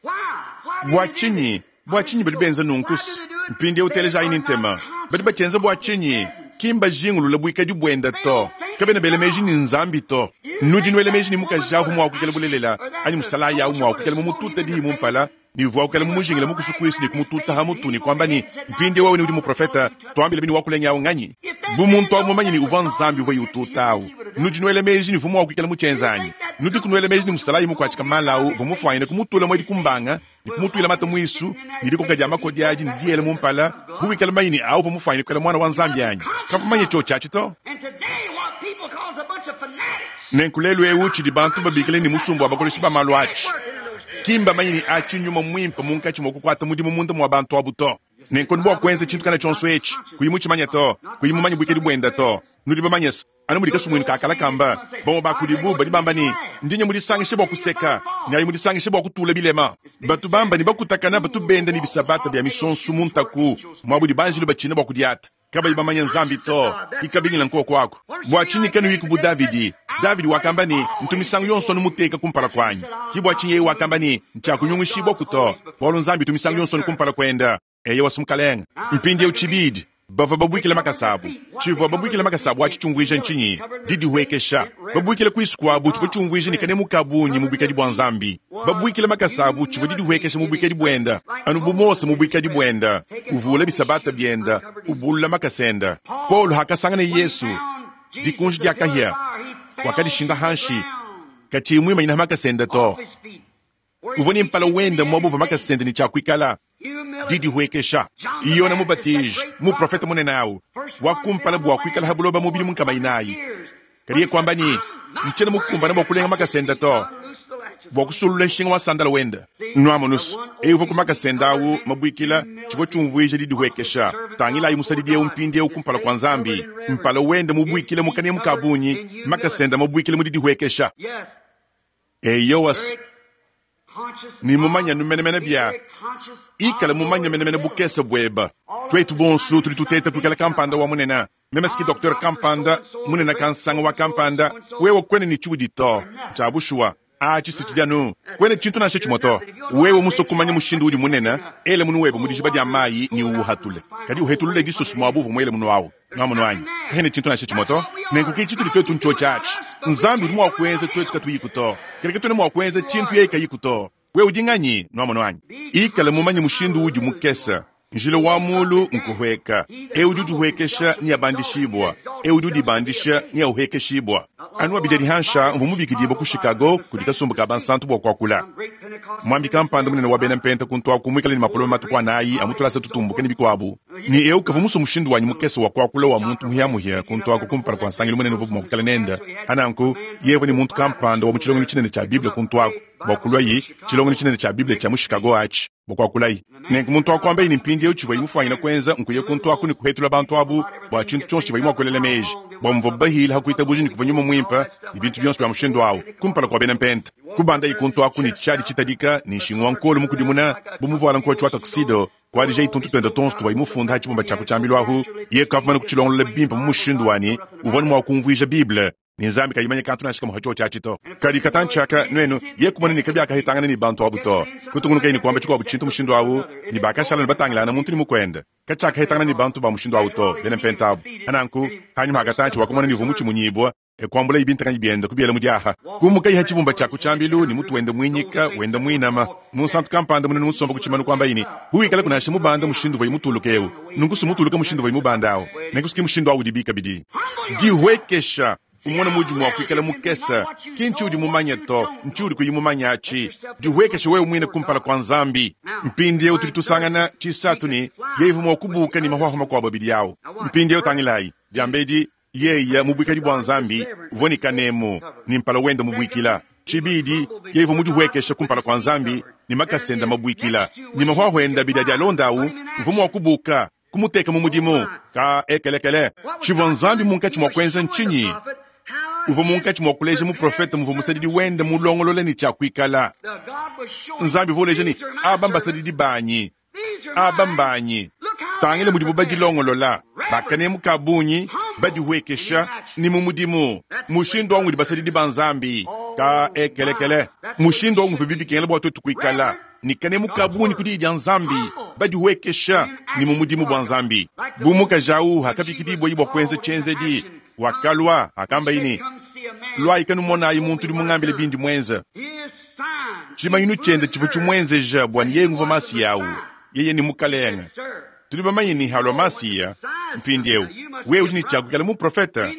S1: Bua tshinyi? Bua tshinyi badi benza nunku? Mpindieu telejayi ne ntema. Badi batshienza bua tshinyi? Ki mbajingulule buikadi buende to. Kabena bela meji ne Nzambi to. Nudi nuela meji ne mukaji avu mua kuikala bulelela anyi musalayi awu mua kuikala mumutute diyi mu mpala? Ne uvua ukala mumujingile mukusu kuisu ne kumututa ha mutu ne kuamba ne, Mpindieu wewe ne udi muprofeta, tuambile bini wakulenga awu nganyi? Bu muntu awu mumanye ne uvua Nzambi uvua ututa awu, nudi nuela meji ne uvua mua kuikala mutshienza anyi? Nudiku nuela meji ne musalayi mukuatshika mala awu uvua mufuanyine kumutula muedi ku mbanga ne kumutuila mata muisu ne dikoka dia makodi adi ne diyela mu mpala, bu wikala mumanye ne awu uvua mufuanyine kuikala Muana wa Nzambi anyi? Kavua mumanye tshiotshi atshi to. Nenku lelu eu tshidi bantu babikila ne musumba wa bakoleshi ba malu atshi, ki mbamanye ne atshi nyuma muimpe munkatshi mua kukuata mudimu munda mua bantu abu to. Nenku bua kuenza tshintu kana tshionso etshi, kuyi mutshimanye to, kuyi mumanye buikadi buenda to. Nudi bamanye se, anu mudi kasumuinu ka kala kamba, bamue ba kudibu badi bamba ne, Ndi nya mudisangishe bua kuseka, nyayi mudisangishe bua kutula bilema. Batu bamba ne bakutakana batu benda ne bisabata bia misonsu mu ntaku, muabu udi banjelu batshina bua kudiata. Kabayi bamanye Nzambi to. Ikabingila nkuoku aku. Bua tshinyi kanuyiku bu Davidi? Davidi wakamba ne, Ntu misangu yonso anu muteka kumpala kuanyi. Ki bua tshinyi yeye wakamba ne, Ntshiakunyungishibua to, bualu Nzambi utu misangu yonso anu kumpala kuende. Eyowa, Mukalenge. Mpindieu tshibidi, bavua babuikile makasa abu. Tshivua babuikile makasa abu atshi tshiumvuija ntshinyi? Didihuekesha. Babuikile kuisu kuabu tshivua tshiumvuija ne kanemu ka bungi mu buikadi bua Nzambi. Babuikile makasa abu tshivua didihuekesha mu buikadi buenda, anu bu Mose mu buikadi buenda, uvuula bisabata bienda, ubulula makasa enda. Paulo hakasangana Yesu, dikunji dia kahia, wakadishinda hanshi, katshiyi muimanyina ha makasa enda to. Uvua ne mpala wenda muaba uvua makasa ende ne tshia kuikala. Didihuekesha. Yone Mubatiji, muprofete munene au, wa kumpala bua kuikala ha buloba mu bidimu nkama inayi, kadi yeye kuamba ne, Ntshiena mukumbane bua kulenga makasa ende to, bua kusulula nshinga wa sandala wende. Nuamonus, eu uvua ku makasa ende au mabuikila, tshivua tshiumvuija didihuekesha. Tangilayi musadidi eu mpindieu kumpala kua Nzambi, mpala wende mubuikila mu kanemu ka bungi, makasa ende mabuikila mu didihuekesha. Eyowa, ne mumanye anu menemene bia ikala mumanye menemene bukese bueba. Tuetu bonso tudi tuteta kuikala kampanda wa munene. Meme siki docteur kampanda munene kansanga wa kampanda, wewe kuena ne tshiudi to. Tshia bushuwa, atshi si tshidi anu kuena tshintu nansha tshimue to. Wewe musue kumanya mushindu udi munene, ela munu webe mu dijiba dia mayi ne uwuhatule. Kadi uhetulule disoso muaba uvua muele munu awu. Nwamonu anyi? Kahena tshintu nansha tshimue to. Nenku ke tshitudi tuetu ntshiotshi atshi. Nzambi udi mua kuenza tuetu katuyiku to. Kadi katuena mua kuenza tshintu yeye kayiku to. Wewe udi nganyi? Nwamonu anyi? Ikala mumanye mushindu udi mukese. Njila wa mulu nkuhueka. Eu udi udihuekesha neabandishibua, eu udi udibandisha neahuekeshibua. Anu abidi adi hansha mvua mubikidibue ku Chicago kudi kasumbu ka bansantu bua kuakula. Muambi kampanda munene wa bena Mpenta kuntu aku muikale ne mapolome matuku anayi a mu tulasa tutumbuke ne bikuabu, ne eu kavua musue mushindu wanyi mukese wa kuakula wa muntu muhiamuhia kuntu aku kumpala kua nsangilu munene uvuabu mua kuikala nende. Pa nanku, yeye uvua ne muntu kampanda wa mu tshilongelu tshinene tshia Bible kuntu aku bua kuluaye tshilongelu tshinene tshia Bible tshia mu Chicago atshi bua kuakulaye. Nenku muntu wa kuambaye ne mpindieu tshivuaye mufuanyine kuenza nkuya kuntu aku ne kuhetula bantu abu bua tshintu tshionso tshivuaye mua kuelela meji bua muvuabu bahile ha kuitabuja ne kuvua nyuma muimpe ne bintu bionso bia mushindu au kumpala kua bena Mpenta. Kubandaye kuntu aku ne tshiadi tshitadika ne nshingu wa nkolo mukudimuna bu muvuala nkotshi wa tuxedo, kuadijaye tuntu tuende tuonso tuvuaye mufunda ha tshibumba tshia ku tshiambilu ahu. Yeye kavua mumane kutshilongolola bimpe mu mushindu wa ne uvua ne mua kumvuija Bible ne Nzambi kayi manya kantu nansha kamue ha tshiotshi atshi to. Kadi katantshi aka nuenu, ye kumona ne kabiakahitangana ne bantu abu to. Kutungunukaye ne kuamba tshikuabu tshintu mushindu au, ne bakashala ne batangilangana muntu ne mukuende. Katshiakahitangana ne bantu ba mushindu au to, bena Mpenta abu. Pananku, hanyima ha katantshi wakamona ne uvua mutshimunyibua, e kuambulaye bintakanyi biende kubiela mu diaha. Kumukaye ha tshibumba tshia ku tshiambilu ne mutu wende muinyika wenda muinama. Munsantu kampanda munene musomba ku tshimanu kuambaye ne, Bu wikalaku nansha mubanda mushindu uvuaye mutuluke eu, nunku si mutuluke mushindu uvuaye mubanda au, nenku si mushindu au udibi kabidi. Dihuekesha, umone muudi mua kuikala mukese, ki ntshiudi mumanye to, ntshiudi kuyi mumanye atshi. Dihuekesha wewe muine kumpala kua Nzambi. Mpindieu tudi tusangana, tshisatu ne, yeye uvua mua kubuuka ne mahuahua makuabu abidi au. Mpindieu tangilayi, diambedi, Yeye mu buikadi bua Nzambi uvua ne kanemu ne mpala wende mubuikila. Tshibidi, yeye uvua mudihuekeshe kumpala kua Nzambi ne makasa ende mabuikila ne mahuahua ende abidi adi alonda au uvua mua kubuka, kumuteka mu mudimu. Ka ekelekele. Tshivua Nzambi munkatshi mua kuenza ntshinyi? Uvua munkatshi mua kuleja muprofete muvua musadidi wende mulongolole ne tshia kuikala. Nzambi uvua uleja ne, aba mbasadidi banyi. Aba mbanyi. Tangila mudibu badilongolola, ba kanemu ka bungi, badihuekesha, ne mu mudimu. Mushindu au ngudi basadidi ba Nzambi. Ka ekelekele. Mushindu au nguvua bikengela bua tuetu kuikala ne kanemu ka bungi ku Diyi dia Nzambi, badihuekesha, ne mu mudimu bua Nzambi. Bu mukaji au hakabikidibua bua kuenza tshienzedi, wakalua, hakambaye ne, Luayi kanumonayi muntu udi mungambile bindi muenze. Tshimanyinu tshiende tshivua tshimuenzeja bua ne yeye nguvua Masiya awu. Yeye ne Mukalenge. Tudi bamanye ne halua Masiya, mpindiewu, wewe udi ne tshia kuikala muprofete.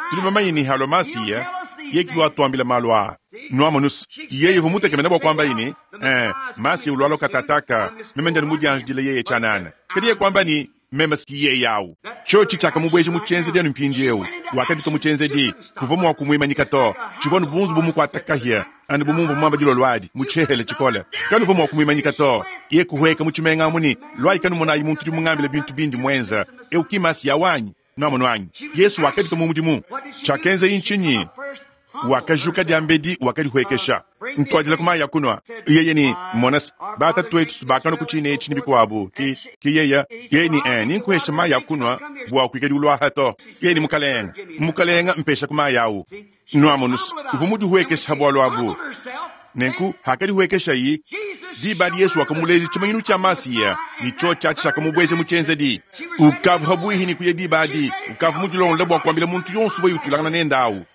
S1: Tudi bamanye ne halua Masiya, yeye ki watuambila malu aa. Nuamonus, yeye uvua mutekemene bua kuambaye ne, Ee, Masiya ulualua katataka, meme ndi anu mudianjidile yeye tshianana. Kadi yeye kuamba ne, Meme si yeye awu. Tshiotshi tshiakamubueja mu tshienzedi anu mpindiewu. Wakaditua mu tshienzedi. Kuvua mua kumuimanyika to. Tshivua anu bu nzubu mukuata kahia, anu bu mumvua muamba dilolo adi, mu tshihela tshikole. Kanuvua mua kumuimanyika to. Yeye kuhueka mu tshimenga amu ne, Luayi kanumonayi muntu udi mungambile bintu bindi muenza. Eu ki Masiya wanyi? Nuamonu anyi? Yesu wakaditua mu mudimu. Tshiakenzaye ntshinyi? Wakajuka diambedi, wakadihuekesha. Ntuadila ku mayi a kunua. Yeye ne, Mona se, batatuetu bakanua ku tshina etshi ne bikuabu. Ki, ki yeye, yeye ne, eh, ninkuhesha mayi a kunua bua kuikadi uluaha to. Yeye ne, Mukalenge, Mukalenge, mpesha ku mayi au. Nuamonu se, uvua mudihuekeshe ha bualu abu. Nenku, hakadihuekeshayi, diba adi Yesu wakamuleja tshimanyinu tshia Masiya, ne tshiotshi atshi tshiakamubueja mu tshienzedi. Ukavua pabuihi ne kuya diba adi, ukavua mudilongolole bua kuambila muntu yonso uvuaye utuilangana nende au.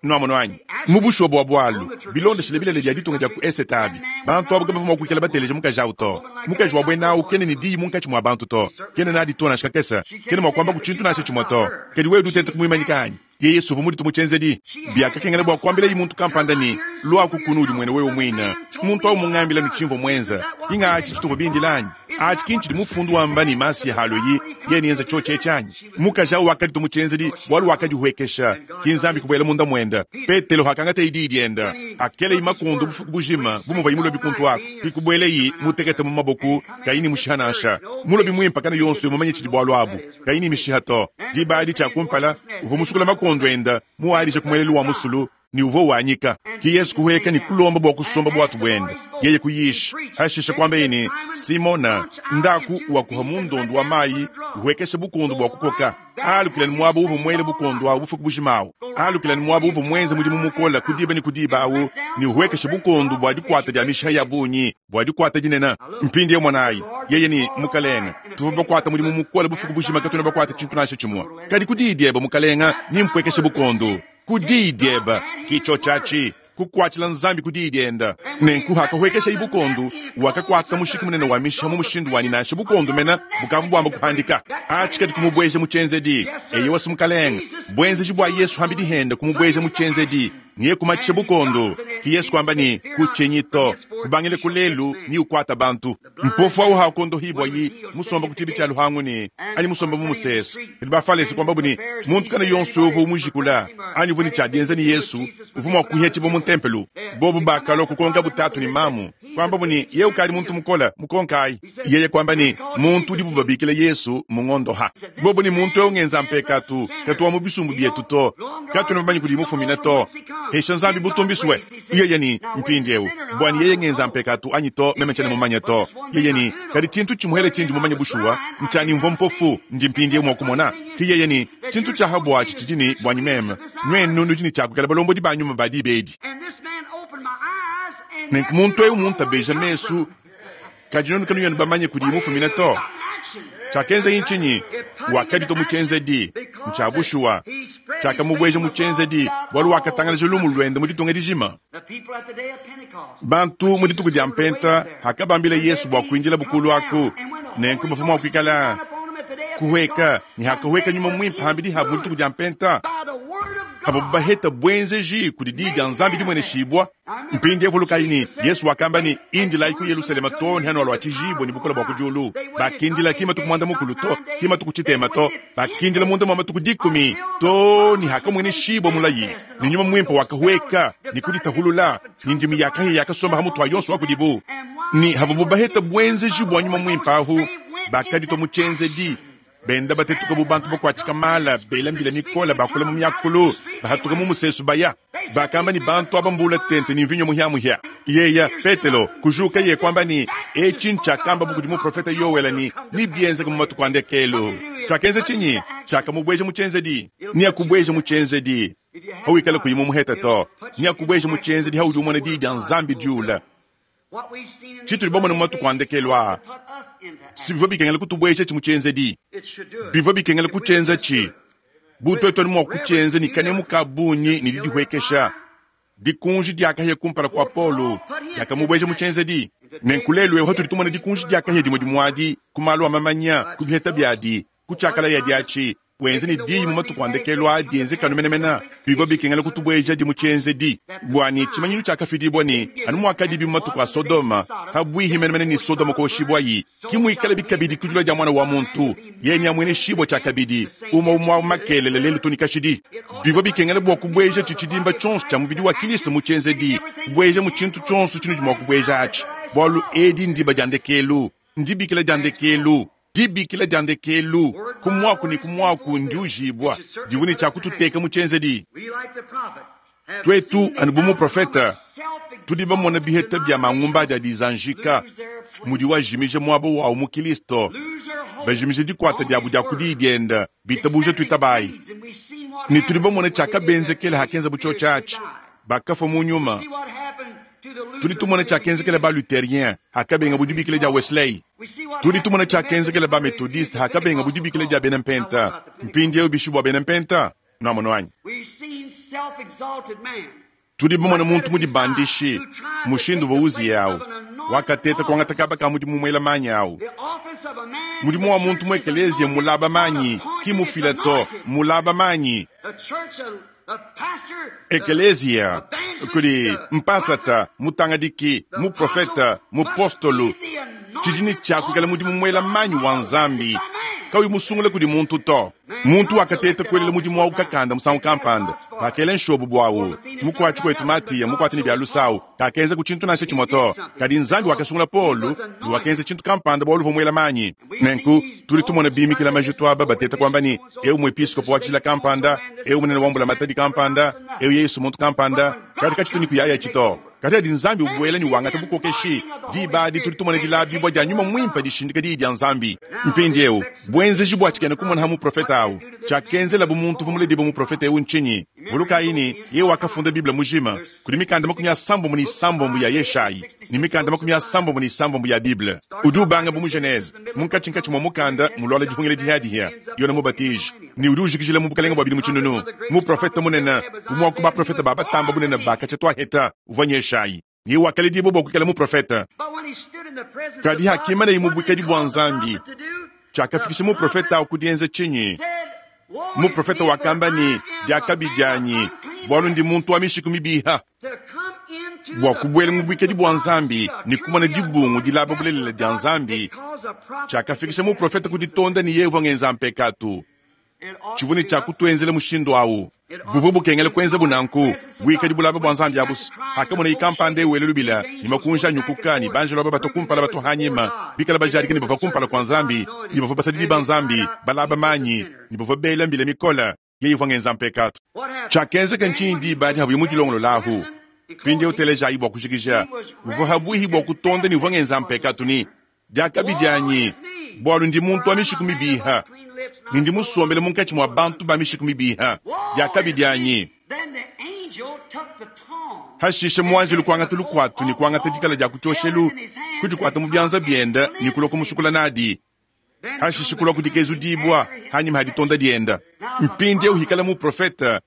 S1: Nuamonu anyi? Mu bushuwa bua bualu, bilondeshile bilele bia ditunga dia ku Esete abi, bantu abu kabavua mua kuikala bateleja mukaji au to. Mukaji wa buena au kena ne diyi munkatshi mua bantu to, kena nadi to nansha kakese, kena mua kuambaku tshintu nansha tshimue to. Kadi wewe udi uteta kumuimanyika anyi? Yeye Yesu uvua muditue mu tshienzedi. Biakakengela bua kuambilaye muntu kampanda ne, Luaku kunu udimuene wewe muine. Muntu au mungambile ne tshimvua muenze. Ki ng'atshi tshituvua bindile anyi? Atshi ki ntshidi Mufundu wamba ne Masiya halueyi, yeye neenze tshiotshi etshi anyi? Mukaji au wakaditua mu tshienzedi bualu wakadihuekesha, ki Nzambi kubuela munda muende. Petelo hakangataye diyi diende, hakelayi makondo bufuku bujima bu muvuaye mulobi kuntu aku, ki kubuelayi mutekete mu maboku, kayi ne mushiha nansha. Mulobi muimpe kana yonso mumanye tshidi bualu abu, kayi ne mishiha to. Diba adi tshia kumpala, uvua musukule makondo ende muadije ku muelelu wa musulu, ne uvua wanyika. Ke Yesu kuhueka ne kulomba bua kusomba buatu buende, yeye kuyisha. Hashishe kuambeye ne, Simona, ndaku wakuha mu ndondo wa mayi, uhuekeshe bukondo bua kukoka. Alukila ne muaba uvua muele bukondo awu bufuku bujima awu. Alukila ne muaba uvua muenze mudimu mukole ku diba ne ku diba awu, ne uhuekeshe bukondo bua dikuata dia mishiha ya bungi, bua dikuata dinene. Mpindieu monayi, yeye ne, Mukalenge, tuvua bakuate mudimu mukole bufuku bujima, katuena bakuate tshintu nansha tshimue. Kadi ku diyi diebe, Mukalenge, nimpuekeshe bukondo. Ku diyi diebe, ki tshiotshi atshi, kukuatshila Nzambi ku diyi diende. Nenku hakahuekeshayi bukondo, wakakuata mushiki munene wa mishiha mu mushindu wa ne nansha bukondo mene bukavua buamba kuhandika. Atshi kadi kumubueja mu tshienzedi. Eyowa, si Mukalenge, buenzeji bua Yesu hambidi hende kumubueja mu tshienzedi. Niye kumatshisha bukondo. Ki Yesu kuamba ne, Kutshinyi to, kubangila ku lelu niukuata bantu. Mpofu au hakondohibua yi musomba ku tshibi tshia luhangu ne anyi musomba mu musesu. Kadi Bafalese kuambabu ne, muntu kana yonso uvua umujikula anyi uvua ne tshia dienza ne Yesu uvua mua kuhetshibua mu ntempelo. Bobu bakalua kukonkabu tatu ne mamu, kuambabu ne, yeye ukadi muntu mukole, mukonkayi. Yeye kuamba ne, muntu udibu babikila Yesu mungondoha. Bobu ne, muntu eu ngenza mpekatu, katu wa mu bisumbu bietu to, katuena bamanye kudi mufumina to. Hesha Nzambi butumbisue. Yeye ne, mpindieu, buanyi yeye ngenza mpekatu anyi to, meme tshiena mumanye to. Yeye ne, kadi tshintu tshimuhele tshindi mumanye bushuwa, ntshianyi mvua mpofu, ndi mpindieu mua kumona. Ke yeye ne, tshintu tshia ha buatshi tshidi ne buanyi meme, nuenu nudi ne tshia kuikala balombodi ba nyuma ba diba edi. Nenku muntu eu muntabeja mesu, kadi nuenu kanuena bamanye kudiye mufumine to. Tshiakenzaye ntshinyi? Wakaditua mu tshienzedi. Ntshia bushuwa, tshiakamubueja mu tshienzedi, bualu wakatangalaja lumu luende mu ditunga dijima. Bantu mu dituku dia Mpenta hakabambila Yesu bua kuindilabu kulu aku, nenku bavua mua kuikala kuhueka, ne hakahueka Nyuma Muimpe hambidi habu mu dituku dia Mpenta, havua baheta buenzeji kudi diyi dia Nzambi dimueneshibua. Mpindieu vulukayi ne, Yesu wakamba ne, Indilayi ku Yelusalema too ne hanualua tshijibue ne bukole bua ku diulu. Bakindila ki matuku muanda mukulu to, ki matuku tshitema to, bakindila munda mua matuku dikumi too ne hakamueneshibua mulayi, ne Nyuma Muimpe wakahueka ne kuditahulula, ne ndimi ya kahia yakasomba ha mutu wa yonso wa kudibu. Ne havuabu baheta buenzeji bua Nyuma Muimpe ahu, bakaditua mu tshienzedi, benda batetuka bu bantu bakuatshika mala, bela mbila mikole, bakula mu miakulu, bahatuka mu musesu baya. Bakamba ne, bantu aba mbula tente ne mvinyo muhia-muhia. Yeya Petelo kujuka ye kuamba ne, etshi ntshiakambabu kudi muprofete Yoele ne, nebienzeke mu matuku a ndekelu. Tshiakenza tshinyi? Tshiakamubueja mu tshienzedi. Neakubueje mu tshienzedi hawikala kuyi mumuheta to. Neakubueje mu tshienzedi haudi umona diyi dia Nzambi diula. Tshitudi bamone mu matuku a ndekelu aa si bivua bikengela kutubueja mu tshienzedi. Bivua bikengela kutshienza tshi bu tuetu anu mua kutshienza ne kanemu ka bungi ne didihuekesha. Dikunji dia kahia kumpala kua Paulo diakamubueja mu tshienzedi. Nenku lelu eu hatudi tumona dikunji dia kahia dimue dimue adi ku malu a mamanya, ku biheta biadi, ku tshiakalaya diatshi, wenze ne diyi mu matuku a ndekelu aa dienzeke anu menemene, bivua bikengela kutubuejadi mu tshienzedi. Bua ne tshimanyinu tshiakafidibua ne, anu muakadibi mu matuku a Sodoma, pabuihi menemene ne Sodoma kuoshibuayi, ki muikalabi kabidi ku dilua dia Muana wa muntu, yeye neamueneshibue tshiakabidi, umue umue au makelela, lelu too ne kashidi. Bivua bikengela bua kubueja tshitshidimba tshionso tshia mubidi wa Kristo mu tshienzedi, kubueja mu tshintu tshionso tshinudi mua kubueja atshi, bualu edi ndiba dia ndekelu, ndibikila dia ndekelu. Dibikila dia ndekelu ku muaku ne ku muaku ndiujibua divua ne tshia kututeka mu tshienzedi. Tuetu, anu bu muprofete, tudi bamone biheta bia mangumba adi adizanjika mudiwu ajimija muaba wawu mu Kilisto, bajimija dikuata diabu dia ku Diyi diende, bitabuja tuitabayi. Ne tudi bamone tshiakabenzekela hakenzabu tshiotshi atshi, bakafua mu nyuma. Tudi tumona tshiakenzekela ba-Lutherien hakabengabu dibikila dia Wesley. Tudi tumona tshiakenzekela ba-Methodiste hakabengabu dibikila dia bena Mpenta. Mpindieu bishi bua bena Mpenta? Nuamonu anyi? Tudi bamone muntu mudibandishi, mushindu uvua Uziya au wakateta kuangata kaba ka mudimu muela manyi au. Mudimu wa muntu mu ekeleziya mmulaba manyi, ki mufila to, mmulaba manyi. Ekeleziya kudi mpasata, mutangadiki, muprofete, mupostolo, tshidi ne tshia kuikala mudimu muela manyi wa Nzambi, kauyi musungula kudi muntu to. Muntu wakateta kuelela mudimu au kakanda musangu kampanda, pakela nshobo buawu. Mukuatshi kuetu Matiya, mukuate ne bia lusa au, kakenzaku tshintu nansha tshimue to. Kadi Nzambi wakasungula Paulo ne wakenza tshintu kampanda bualu uvua muela manyi. Nenku tudi tumona bimikila majitu aba bateta kuamba ne, eu muepiskopo wa tshijila kampanda, eu munene wa mbulamatadi kampanda, eu Yesu muntu kampanda, kadi katshitu ne kuyayatshi to. Kadi adi Nzambi ubuela ne wangata bukokeshi, diba adi tudi tumona dilabibua dia Nyuma Muimpe dishindika Diyi dia Nzambi. Mpindieu, buenzeji bua tshikena-kumona ha muprofete au, tshiakenzelabu muntu uvua muledibue muprofete eu ntshinyi? Vulukayi ne, yeye wakafunda Bible mujima. Kudi mikanda 36 ya Yeshayi ne mikanda 36 ya Bible. Udi ubanga bu mu Genese, munkatshinkatshi mua mukanda muluala dihungila dihiadihia, Yone Mubatiji, ne udi ujikijila mu bukalenge bua bidimu tshinunu. Muprofete munene, umue wa ku baprofete ba batamba bunene ba katshia tuaheta, uvua n'Yeshayi. Yeye wakaledibua bua kuikala muprofete. Kadi hakimaneye mu buikadi bua Nzambi, tshiakafikisha muprofete au ku dienza tshinyi? Muprofete wakamba ne, Diakabi dianyi, bualu ndi muntu wa mishiku mibiha. Bua kubuela mu buikadi bua Nzambi ne kumona dibungu dilaba bulelela dia Nzambi, tshiakafikisha muprofete ku ditonda ne yeye uvua ngenza mpekatu. Tshivua ne tshia kutuenzela mushindu au. Buvua bukengela kuenzabu nanku. Buikadi bulaba bua Nzambi abusu. Hakamonaye kampanda eu wela lubila, ne makunji anyukuka, ne banjelo aba batua kumpala batua hanyima, bikala bajadika ne bavua kumpala kua Nzambi, ne bavua basadidi ba Nzambi, balaba manyi, ne bavua bela mbila mikole, yeye uvua ngenza mpekatu. Tshiakenzeka ntshinyi diba adi havuye mudilongolola ahu? Mpindieu telejayi bua kujikija. Uvua habuihi bua kutonda ne uvua ngenza mpekatu ne, Diakabi dianyi, bualu ndi muntu wa mishiku mibiha, ne ndi musombele munkatshi mua bantu ba mishiku mibiha. Diakabi dianyi! Hashishe muanjelu kuangata lukuatu ne kuangata dikala dia ku tshioshelu, kudikuata mu bianza biende ne kulua kumusukula nadi. Hashishe kulua kudikezudibua hanyima ha ditonda diende. Mpindieu hikala muprofete,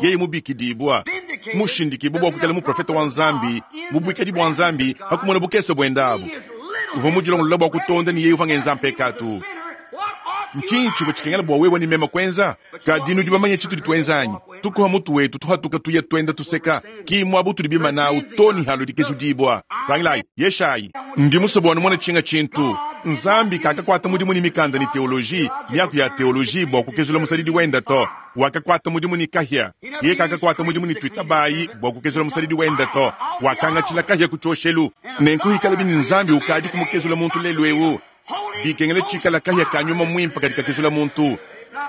S1: yeye mubikidibua, mushindikibua bua kuikala muprofete wa Nzambi mu buikadi bua Nzambi, ha kumona bukese buende abu, uvua mudilongolola bua kutonda ne yeye uvua ngenza mpekatu. Ntshinyi tshivua tshikengela bua wewe ne meme kuenza? Kadi nudi bamanye tshitudi tuenza anyi? Tukuha mutu wetu, tuhatuka tuya tuenda tuseka. Ki muaba utudi bimana au to ne halu dikezudibua. Tangilayi, Yeshayi. Ndi musue bua numone tshinga tshintu. Nzambi kakakuata mudimu ne mikanda ne teoloji, miaku ya teoloji, bua kukezula musadidi wende to. Wakakuata mudimu ne kahia. Yeye kakakuata mudimu ne tuitabayi bua kukezula musadidi wende to. Wakangatshila kahia ku tshioshelu. Nenku hikalabi ne Nzambi ukadi kumukezula muntu lelu eu, bikengela tshikala kahia ka nyuma muimpe kadi kakezula muntu,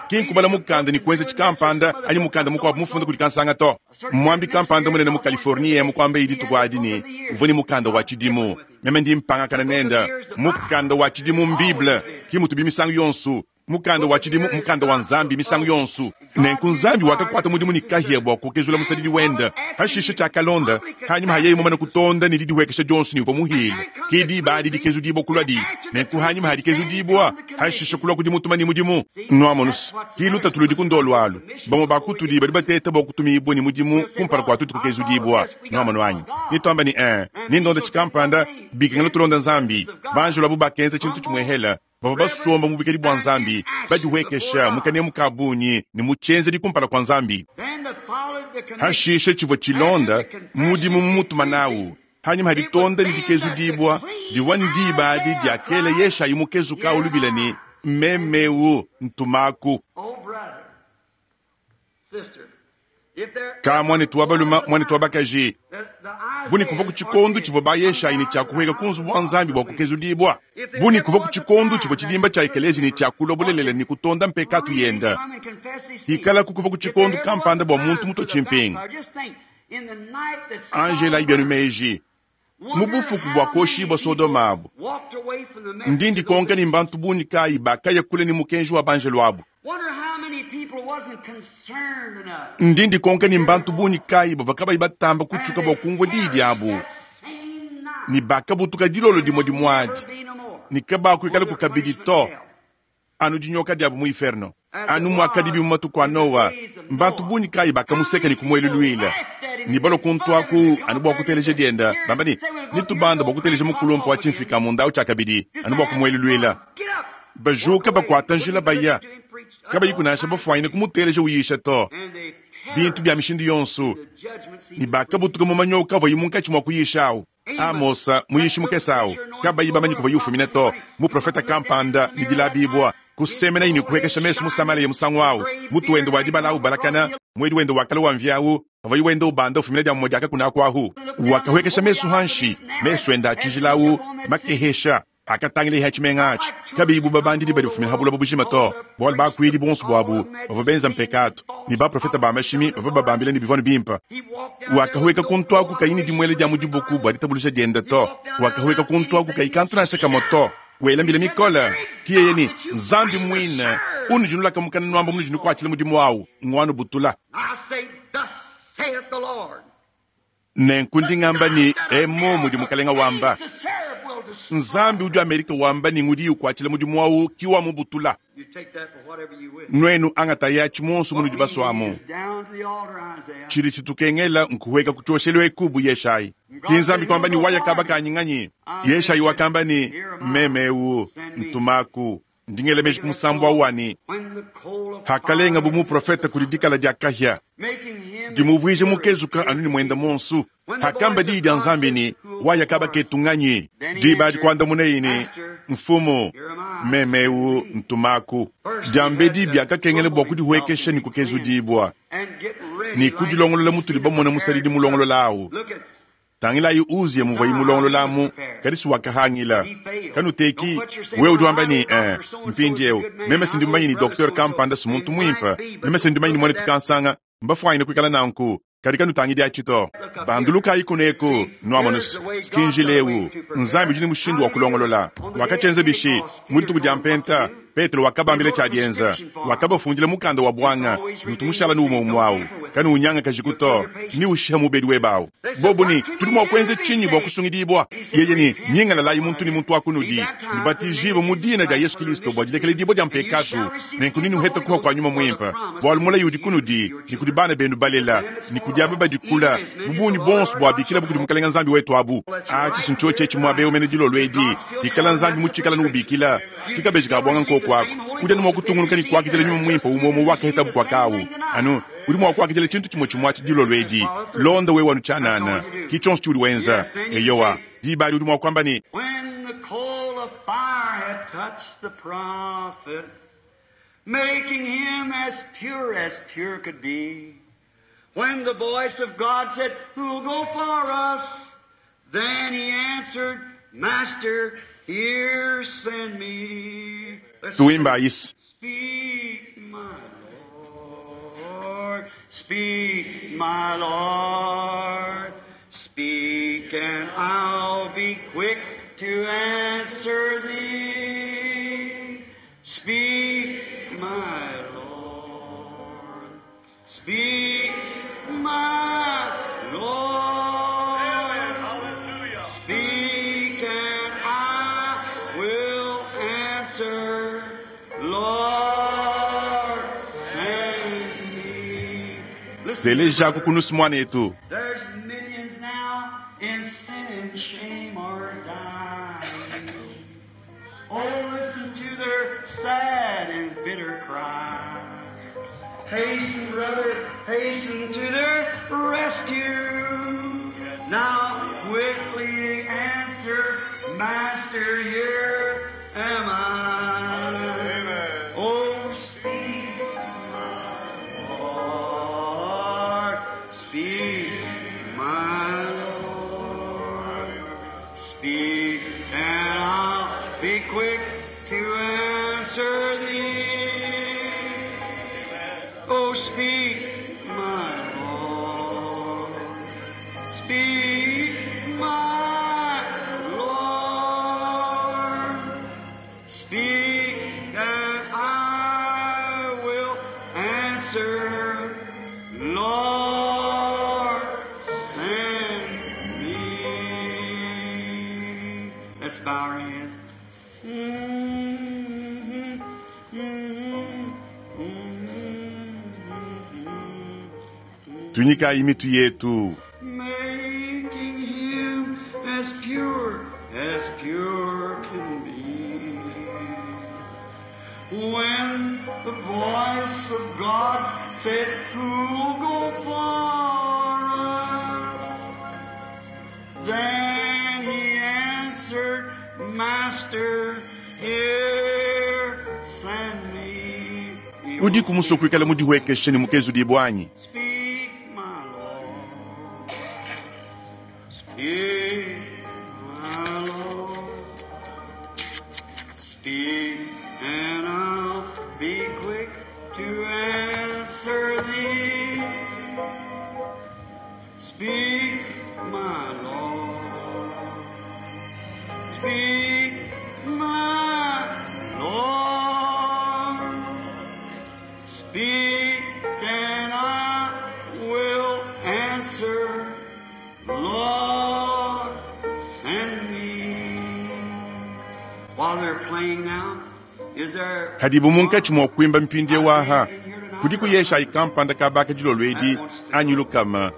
S1: ki nkubala mukanda ne kuenza tshikampanda anyi mukanda mukuabu mufunda kudi kansanga to. Muambi kampanda munene mu Californie mukuambaye dituku adi ne, uvua ne mukanda wa tshidimu. Meme ndi mpangakana nende. Mukanda wa tshidimu m'Bible. Ki mutubi misangu yonso. Mukanda wa tshidimu mukanda wa Nzambi misangu yonso. Nenku Nzambi wakakuata mudimu ne kahia bua kukezula musadidi wende. Hashishe tshiakalonda, hanyima ha yeye mumane kutonda ne didihuekesha dionso ne uvua muhile, ke diba adi dikezudibua kuluadi. Nenku hanyima ha dikezudibua, hashishe kulua kudi mutuma ne mudimu. Nuamonus, ki lutatu ludi ku ndolu alu. Bamue ba kutudi badi bateta bua kutumibua ne mudimu kumpala kua tuetu kukezudibua. Nuamonu anyi? Netuamba ne, Ee, nendonda tshikampanda, bikengela tulonda Nzambi. Banjelu abu bakenza tshintu tshimuehela. Bavua basomba mu buikadi bua Nzambi, badihuekesha mu kanemu ka bungi ne mu tshienzedi kumpala kua Nzambi. Hashishe tshivua tshilonda mudimu mumutuma nawu hanyima ha ditonda ne dikezudibua divua ndiba adi diakela Yeshayi mukezuka awu lubila ne, Mmeme eu, ntumaku. Ka muanetu wa balume, muanetu wa bakaji, bu ne kuvua ku tshikondo tshivua ba Yeshayi ne tshia kuhueka ku nzubu wa Nzambi bua kukezudibua, bu ne kuvua ku tshikondo tshivua tshidimba tshia ekeleziya ne tshia kulua bulelela ne kutonda mpekatu yenda, hikalaku kuvua ku tshikondo kampanda bua muntu mutue tshimpingu. Anjelayi bienu meji, mu bufuku bua kuoshibua Sodoma abu, ndi ndikonka ne mbantu bungi kayi bakaya kule ne mukenji wa banjelu abu. Ndi ndikonka ne mbantu bungi kayi bavua kabayi batamba kutshuka bua kumvua diyi diabu, ne bakabutuka dilolo dimue dimue adi, ne kabakuikalaku kabidi to, anu dinyoka diabu mu inferno. Anu muakadibi mu matuku a Noa, mbantu bungi kayi bakamuseka ne kumueluluila, ne balua kuntu aku anu bua kuteleja dienda, bamba ne, Netubande bua kuteleja mukulumpe wa tshimfika-munda au tshiakabidi, anu bua kumueluluila. Bajuka bakuata njila baya, kabayiku nansha bafuanyine kumuteleja uyisha to. Bintu bia mishindu yonso, ne bakabutuka mu manyoka avuaye munkatshi mua kuyisha au. Amosa, muyishi mukese au, kabayi bamanye kuvuaye ufumina to, muprofete kampanda ne dilabibua, kusemenaye ne kupuekesha mesu mu Samalea musangu au, mutu wende wa dibala au ubalakana, muedi wende wa kale wa mvia au, pavuaye wenda ubanda ufumina dia mumue dia kakuna aku ahu. Wakahuekesha mesu hanshi, mesu ende a tshijila au makehesha, akatangila ha tshimenga atshi, kabiyi bu babandidi badi bafumina ha buloba bujima to, bualu bakuidi buonso buabu bavua benza mpekatu, ne baprofete ba mashimi bavua babambila ne bivua bimpe. Wakahueka kuntu aku kayi ne dimuele dia mu dibuku bua ditabuluja diende to, wakahueka kuntu aku kayi kantu nansha kamue to, wela mbila mikole, ki yeye ne, Nzambi muine unudi nulaka mukana nuamba munudi nukuatshila mudimu au nguanubutula. Nenku ndi ngamba ne, Emu mudi Mukalenga wamba. Nzambi udi Amerika wamba ne ngudi ukuatshila mudimu au ki wamubutula. Nuenu angatayi atshi muonso munudi basuamu. Tshidi tshitukengela nkuhueka ku tshioshelu eku bu Yeshayi. Ki Nzambi kuamba ne waya kaba kanyi nganyi? Yeshayi wakamba ne, Meme eu, ntumaku. Ndi ngela meji ku musambu au wa ne, Hakalenga bu muprofete kudi dikala dia kahia, dimuvuije mukezuka anu ne muenda muonso. Hakamba diyi dia Nzambi ne, Waya kaba ketu nganyi? Diba adi kuandamunaye ne, Mfumu, meme eu, ntumaku. Diambedi biakakengela bua kudihuekesha ne kukezudibua ne kudilongolola mutudi bamona musadidi mulongolola au. Tangilayi Uziya muvuaye mulongololamu, kadi si wakahangila. Kanuteki, wewe udi wamba ne, Eh, mpindieu, meme si ndi mumanye ne docteur kampanda si muntu muimpe, meme si ndi mumanye ne muanetu kansanga, mbafuanyine kuikala nanku, kadi kanutangidi atshi to. Bandulukayi kuneku, nuamonu, si njila eu. Nzambi udi ne mushindu wa kulongolola. Wakatshienza bishi? Mu dituku dia Mpenta, Petelo wakabambila tshia dienza. Wakabafundila mukanda wa buanga, ne utu mushala ne umue umue au. Kanuwunyangakajiku to, ne ushiha mubedi webe au. Bobu ne, Tudi mua kuenza tshinyi bua kusungidibua? Yeye ne, Nyingalalayi muntu ne muntu wa kunudi, nubatijibue mu dina dia Yesu Kilisto bua dilekeledibua dia mpekatu, nenku nenuhete kuha kua Nyuma Muimpe, bualu mulayi udi kunudi ne kudi bana benu balela ne kudi aba badi kula, mu bungi bonso buabikilabu kudi Mukelenge Nzambi wetu abu. Atshi si ntshiotshi etshi muaba eu mene dilolo edi, bikala Nzambi mutshikala ne ubikila, siki kabeji ka buanga nkoku aku. Udi anu mua kutungunuka ne kuakidila Nyuma Muimpe umue umue wakahetabu kuaka au. Anu udi mua kuakidila tshintu tshimue tshimue atshi dilolo edi. Londa wewe anu tshianana, ki tshionso tshiudi wenza. Eyowa, diba adi udi mua kuamba ne.
S2: When the coal of fire had touched the prophet, making him as pure as pure could be, when the voice of God said, Who'll go for us? Then he answered, Master, here send me. Let's
S1: Tuimbayi se.
S2: Speak, my Lord, speak, my Lord, speak, and I'll be quick to answer thee. Speak, my Lord. Speak, my Lord. Speak, and I will answer. Lord, send me. Listen,
S1: Telejaku kunusu mwanetu.
S2: there's millions now in sin and shame are dying. Oh, listen to their sad and bitter cry. Hasten, brother, hasten to their rescue. Now quickly answer, Master, here am I. Oh, speak, my Lord, speak, my Lord. Speak, and I'll be quick to answer thee. Oh, speak, my Lord. Speak, my Lord. Speak, and I will answer. Lord, send me. Let's bow our heads. Mm-hmm, mm-hmm, mm-hmm,
S1: Tunyikayi mitu yetu.
S2: making him as pure as pure can be. When the voice of God said, Who'll go for us? Then he answered, Master, here send me.
S1: Udi kumusua kuikala mudihuekeshe ne mukezu dibwanyi.
S2: Speak, my Lord. Speak, my Lord. Speak, and I'll be quick to answer thee. Speak, my Lord. Speak, my Lord. Speak, and I will answer. Lord, send me. While they're playing now, is there
S1: Hadibu munkatshi mua kuimba mpindie waha. Kudi kuyesha ikampanda kabaka dilolo edi anyi lukama.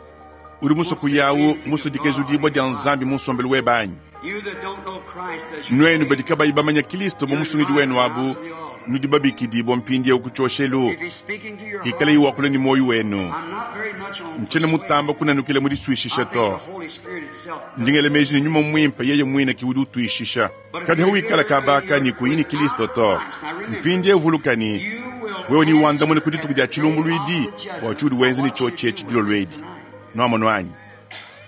S1: Udi musua kuyawu musudikezu dibwa dia nzambi munsombelu webanyi.
S2: you that don't know Christ as your
S1: Nuenu badi kabayi bamanya Kristo mu musungidi wenu abu nudi babikidibwa mpindiewu ku tshioshelu.
S2: If he's speaking to your
S1: Hikala
S2: heart,
S1: iwakula ni moyo wenu.
S2: I'm not very much on
S1: Ntshena mutamba kunanukila
S2: I
S1: mudisuishisha
S2: think
S1: to.
S2: the Holy Spirit itself
S1: Ndingele meji ni nyuma mwimpe yeye mwine kiudi utuishisha. Kadi hawikala kabaka ni kuyini Kristo to. Mpindie uvulukani
S2: you will
S1: wewe ni wandamune
S2: answer
S1: kudituku dia
S2: at the
S1: chilumbulu
S2: day
S1: idi
S2: of the judgment
S1: bua tshiudi wenze ni
S2: what you
S1: tshio tshie
S2: do
S1: dilolo
S2: with
S1: edi
S2: tonight.
S1: nwamonu anyi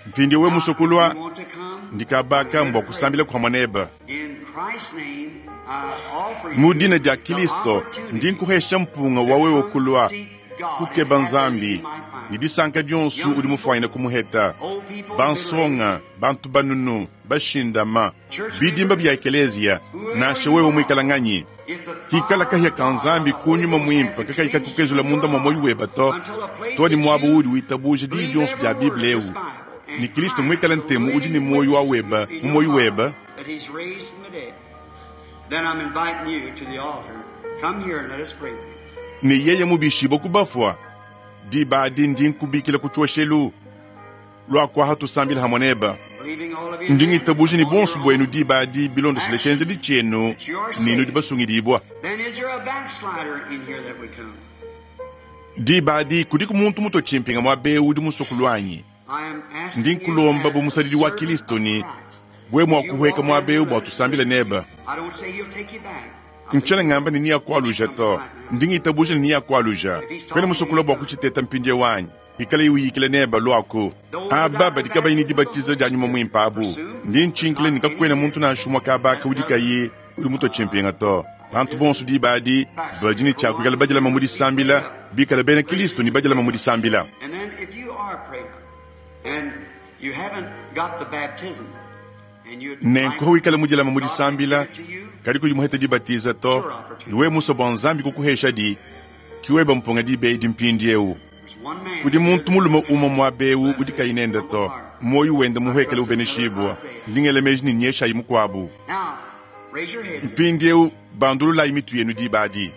S1: mpindie we musokulwa
S2: You want to come?
S1: ndikabaka mbwa kusambila kwa mwaneba
S2: In Christ's name, I offer
S1: mu
S2: you
S1: dina dia
S2: the
S1: Kristo
S2: opportunity
S1: ndi nkuhesha mpunga wa wewe kulwa
S2: to seek God
S1: kukeba
S2: and
S1: nzambi
S2: he might find.
S1: ni disanka dionsu udi mufuanyina kumuheta
S2: Old people,
S1: bansonga bantu banunu bashindama bidimba bya ekeleziya nasha wewe mwikala nganyi
S2: if the
S1: hikala kahya ka nzambi kunyuma mwimpa kakayika kukezula munda mwa moyo weba to
S2: until a place
S1: to ni
S2: that
S1: mwabo
S2: you
S1: udi witabuje diyi
S2: believe
S1: dionsu
S2: every
S1: dia
S2: word
S1: biblia
S2: of
S1: ewu
S2: this Bible, and
S1: ni Kristo
S2: Christ
S1: mwikala
S2: is the
S1: ntemu udi ni
S2: living
S1: moyo wa
S2: witness
S1: weba
S2: in
S1: mu
S2: your
S1: moyo
S2: heart
S1: weba
S2: that he's raised from the dead. Then I'm inviting you to the altar. Come here and let us pray.
S1: ni yeye mubishibwa kubafwa diba adi ndi nkubikila ku tshioshelu lwakwaha tusambila hamwe neba
S2: Believing all of you
S1: ndi ngitabuje ni
S2: on
S1: bonsu
S2: your
S1: bwenu
S2: own.
S1: diba adi bilondosele tshenzedi tshienu ninu dibasungidibwa
S2: Then is there a backslider in here that would come?
S1: diba adi kudiku muntu muto tshimpinga mwa bewu udi musokulu anyi
S2: I am asking
S1: ndi
S2: you
S1: nkulomba
S2: as
S1: bu
S2: a
S1: musadidi wa
S2: servant
S1: Kristo
S2: of
S1: ni
S2: Christ.
S1: bwe mua
S2: You
S1: kuhweka
S2: walk
S1: mwa
S2: down
S1: bewu
S2: the
S1: bua tusambile neba
S2: I don't say he'll take you back. I
S1: ntshena
S2: believe
S1: ngamba ni niya kualuja to ndi ngitabuje ni niya kualuja kwene musokula bua kutshiteta mpindie wanyi ikala iwiyikile neba lwaku aba badi kabayi ni dibatiza dia nyuma mwimpa abu ndi ntshinkile ni kakwena muntu nanshumwa kabaka udi kayi udi muto tshimpinga to bantu bonso diba adi badi ni tshiakuikala badilama mu disambila bikala bena Kristo ni badilama mu disambila
S2: And then if you are praying and you haven't got the baptism and you'd
S1: nenku
S2: like
S1: hawikala mudilama mu
S2: God to
S1: disambila
S2: give it to you,
S1: Kadi kuyi muhete dibatiza to, ne wewe musue bua Nzambi kukuheshadi, ki weba mpunga diba edi mpindiewu. Kudi muntu mulume umue muaba eu udi kayi nende to, muoyo wende muhuekele ubeneshibua. Ndi ngela meji ne nyeshayi mukuabu. Mpindiewu bandululayi mitu yenu diba adi.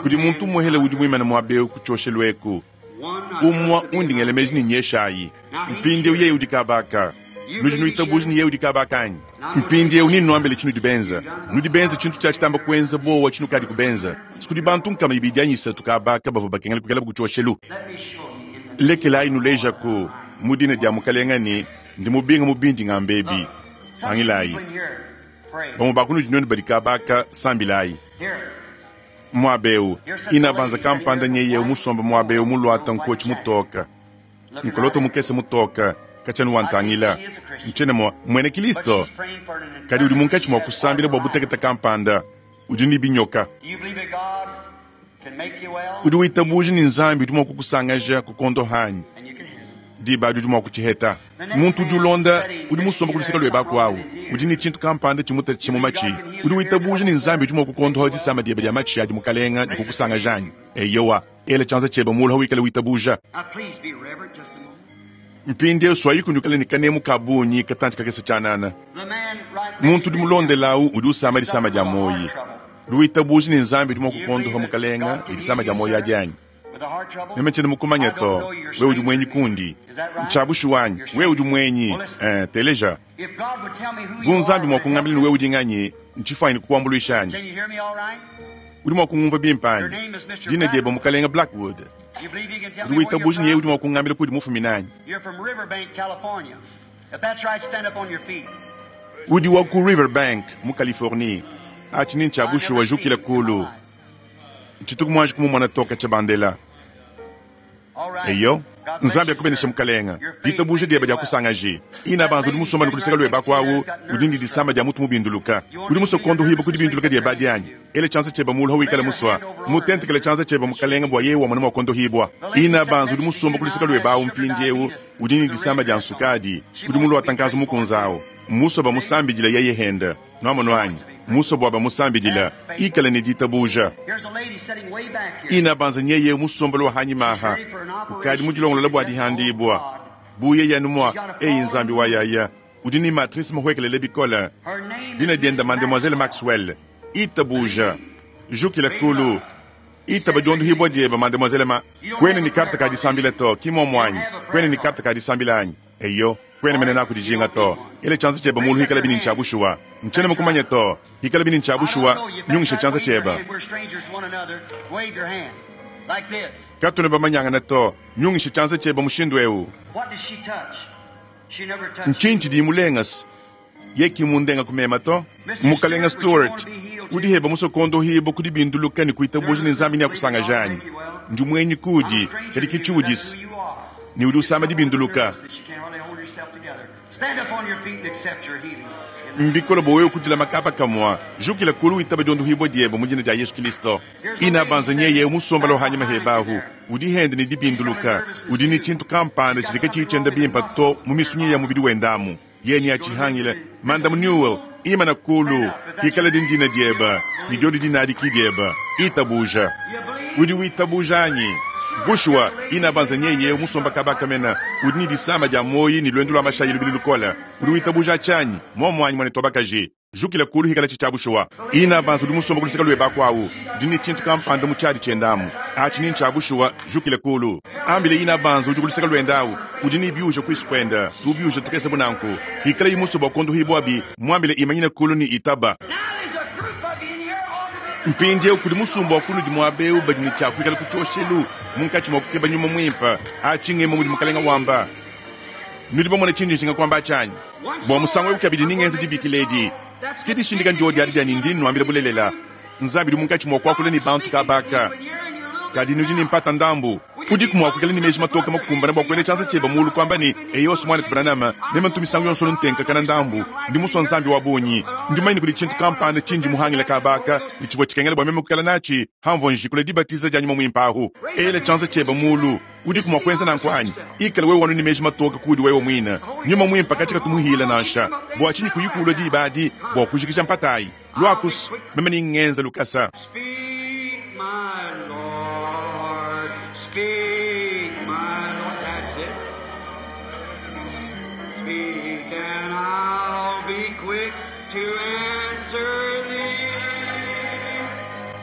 S1: Kudi muntu umuehele udi muimane muaba eu ku tshioshelu eku, umue undi ngela meji ne nyeshayi. Mpindiewu yeye udi kaba aka. Nudi nuitabuja ne yeye udi kaba aka anyi? Mpindiewu nennuambile tshinudi benza. Nudi benza tshintu tshia tshitamba kuenza buowa tshinukadi kubenza. Kudi bantu 200 anyi 3 kaba aka bavua bakengela kuikalabu ku tshioshelu. Lekelayi nulejaku mu dina dia Mukalenga ne ndi mubinga mu bindi ngamba ebi. Tangilayi, bamue ba kunudi nuenu badi kaba aka, sambilayi. Muaba eu, ina banza kampanda nyeye musombe muaba eu muluata nkotshi mutoka, nkoloto mukese mutoka, katshiena wantangila. Ntshiena mua muena Kilisto, kadi udi munkatshi mua kusambila bua butekete kampanda, udi ne binyoka. Udi witabuja ne Nzambi udi mua kukusangaja ku kondo hanyi, diba adi udi mua kutshiheta. Muntu udi ulonda udi musombe ku luseke luebe aku awu, udi ne tshintu kampanda tshimutatshisha mu matshi. Udi witabuja ne Nzambi udi mua kukondoha disama diebe dia matshi adi Mukalenga ne kukusangaja anyi? Eyowa, ela tshianza tshiebe mulu hawikale witabuja. Mpindieu suayiku nuikale ne kanemu ka bungi katantshi kakese tshianana. Muntu udi mulondela awu udi usama disama dia muoyi. Udi witabuja ne Nzambi udi mua kukondoha Mukalenga ne disama dia muoyi adi anyi? Meme tshiena mukumanya to, wewe udi muenyi kundi. Ntshia bushuwa anyi? Wewe udi muenyi. Teleja. Bu Nzambi mua kungambila ne wewe udi nganyi, ntshifuanyine kukuambuluisha anyi? Udi mua kungumvua bimpe anyi? Dina diebe Mukalenga Blackwood. Udi witabuja ne yeye udi mua kungambila kudi mufumine anyi? Udi wa ku Riverbank mu Californie. Atshi ni ntshia bushuwa, jukila kulu. Ntshituku muanji kumumona to katshia bandela. Eyo, Nzambi akubeneshe Mukalenga. Ditabuja diebe dia kusangaji. Ina banza udi musomba ne ku luseke luebe aku awu, udi ne disama dia mutu mubinduluka. Udi musue kuondohibua ku dibinduluka diebe adi anyi? Ela tshianza tshiebe mulu hawikala musua. Mutentekele tshianza tshiebe Mukalenga bua yeye wamona mua kuondohibua. Ina banza udi musomba ku luseke luebe awu mpindiewu, udi ne disama dia nsukadi. Udi muluata nkanzu mukunza awu. Musue bamusambidila yeye henda. Nuamonu anyi? Musue bua bamusambidila. Ikala ne ditabuja. Ina banza nyeye musombelo wa hanyima aha. Ukadi mudilongolola bua dihandibua. Bu yeye anu mua, eyi Nzambi wa yaya. Udi ne matrice muhuekelele bikole. Dina diende Mademoiselle Maxwell. Itabuja. Jukila kulu. Itaba diondohibua diebe, Mademoiselle Ma. Kuena ne karte ka disambila to, ki muomu anyi? Kuena ne karte ka disambila anyi? Eyo, kuena mene naku dijinga to. Ela tshianza tshiebe mulu hikala bini ntshia bushuwa. Ntshiena mukumanye to. Hikala bini ntshia bushuwa, nyungisha tshianza tshiebe. Katuena bamanyangana to. Nyungisha tshianza tshiebe mushindu eu. Ntshinyi tshidi imulengase? Ye ki mundenga kumema to. Mukalenga Stewart, udi heba musue kuondohibua ku dibinduluka ne kuitabuja ne Nzambi neakusangaje anyi? Ndi muenyi kudi, kadi ki tshiudisi ne udi usama dibinduluka. Mbikole bua wewe kudila makapa kamua. Jukila kulu witaba diondohibua diebe mu dina dia Yesu Kilisto. Ina banza nyeye musombelo hanyima hebahu. Udi hende ne dibinduluka. Udi ne tshintu kampanda tshidi katshiyi tshienda bimpe to mu misunyi ya mubidi wendamu. Yeye neatshihangile. Mandamu Newell, imana kulu, hikala di ndina diebe, ne diodi dinadi ki diebe. Itabuja. Udi witabuja anyi? Bushuwa, ina banza nyeye musomba kaba kamena. Udi ne disama dia muoyi ne luendu lua mashayi lubili lukole. Udi witabuja atshi anyi? Muomu anyi, muanetu wa bakaji? Jukila kulu hikala tshi tshia bushuwa. Ina banza udi musomba ku luseke luebe aku awu. Udi ne tshintu kampanda mu tshiadi tshiende amu. Atshi ni ntshia bushuwa, jukila kulu. Ambile ina banza udi ku luseke luende awu. Udi ne biuja kuisu kuende, tubiuja tukese bu nanku. Hikala imusue bua kuondohibua bi, muambile imanyine kulu ne itaba. Mpindieu kudi musumba wa kunudi muaba eu badi ne tshia kuikala ku tshioshelu munkatshi mua kukeba nyuma muimpe. Atshi ngemu mudi Mukalenga wamba. Nudi bamone tshindi njinga kuamba atshi anyi? Bua musangu eu kabidi ningenza dibikila edi. Sike dishindika ndiodi adi dia ne ndi nnuambila bulelela. Nzambi udi munkatshi mua kuakula ne bantu kaba aka. Kadi nudi ne mpata ndambu. Udiku mua kuikala ne meji matoke makumbane bua kuela tshianza tshiebe mulu kuamba ne, Eyo, muanetu Branham, meme ntu misangu yonso ntenkakana ndambu. Ndi musua Nzambi wa bungi. Ndi mumanye ne kudi tshintu kampanda tshindi muhangile kaba aka, ne tshivua tshikengela bua meme kuikala natshi hamvua njikula dibatiza dia Nyuma Muimpe ahu. Ela tshianza tshiebe mulu. Udiku mua kuenza nanku anyi? Ikala wewe anu ne meji matoke kuudi wewe muine. Nyuma Muimpe katshia katumuhiila nansha. Bua tshinyi kuyi kulua diba adi bua kujikija mpata ayi? Luaku's, meme ne ngenza lukasa.
S2: Speak, my Lord. Speak, my Lord. That's it. Speak, and I'll be quick to answer thee.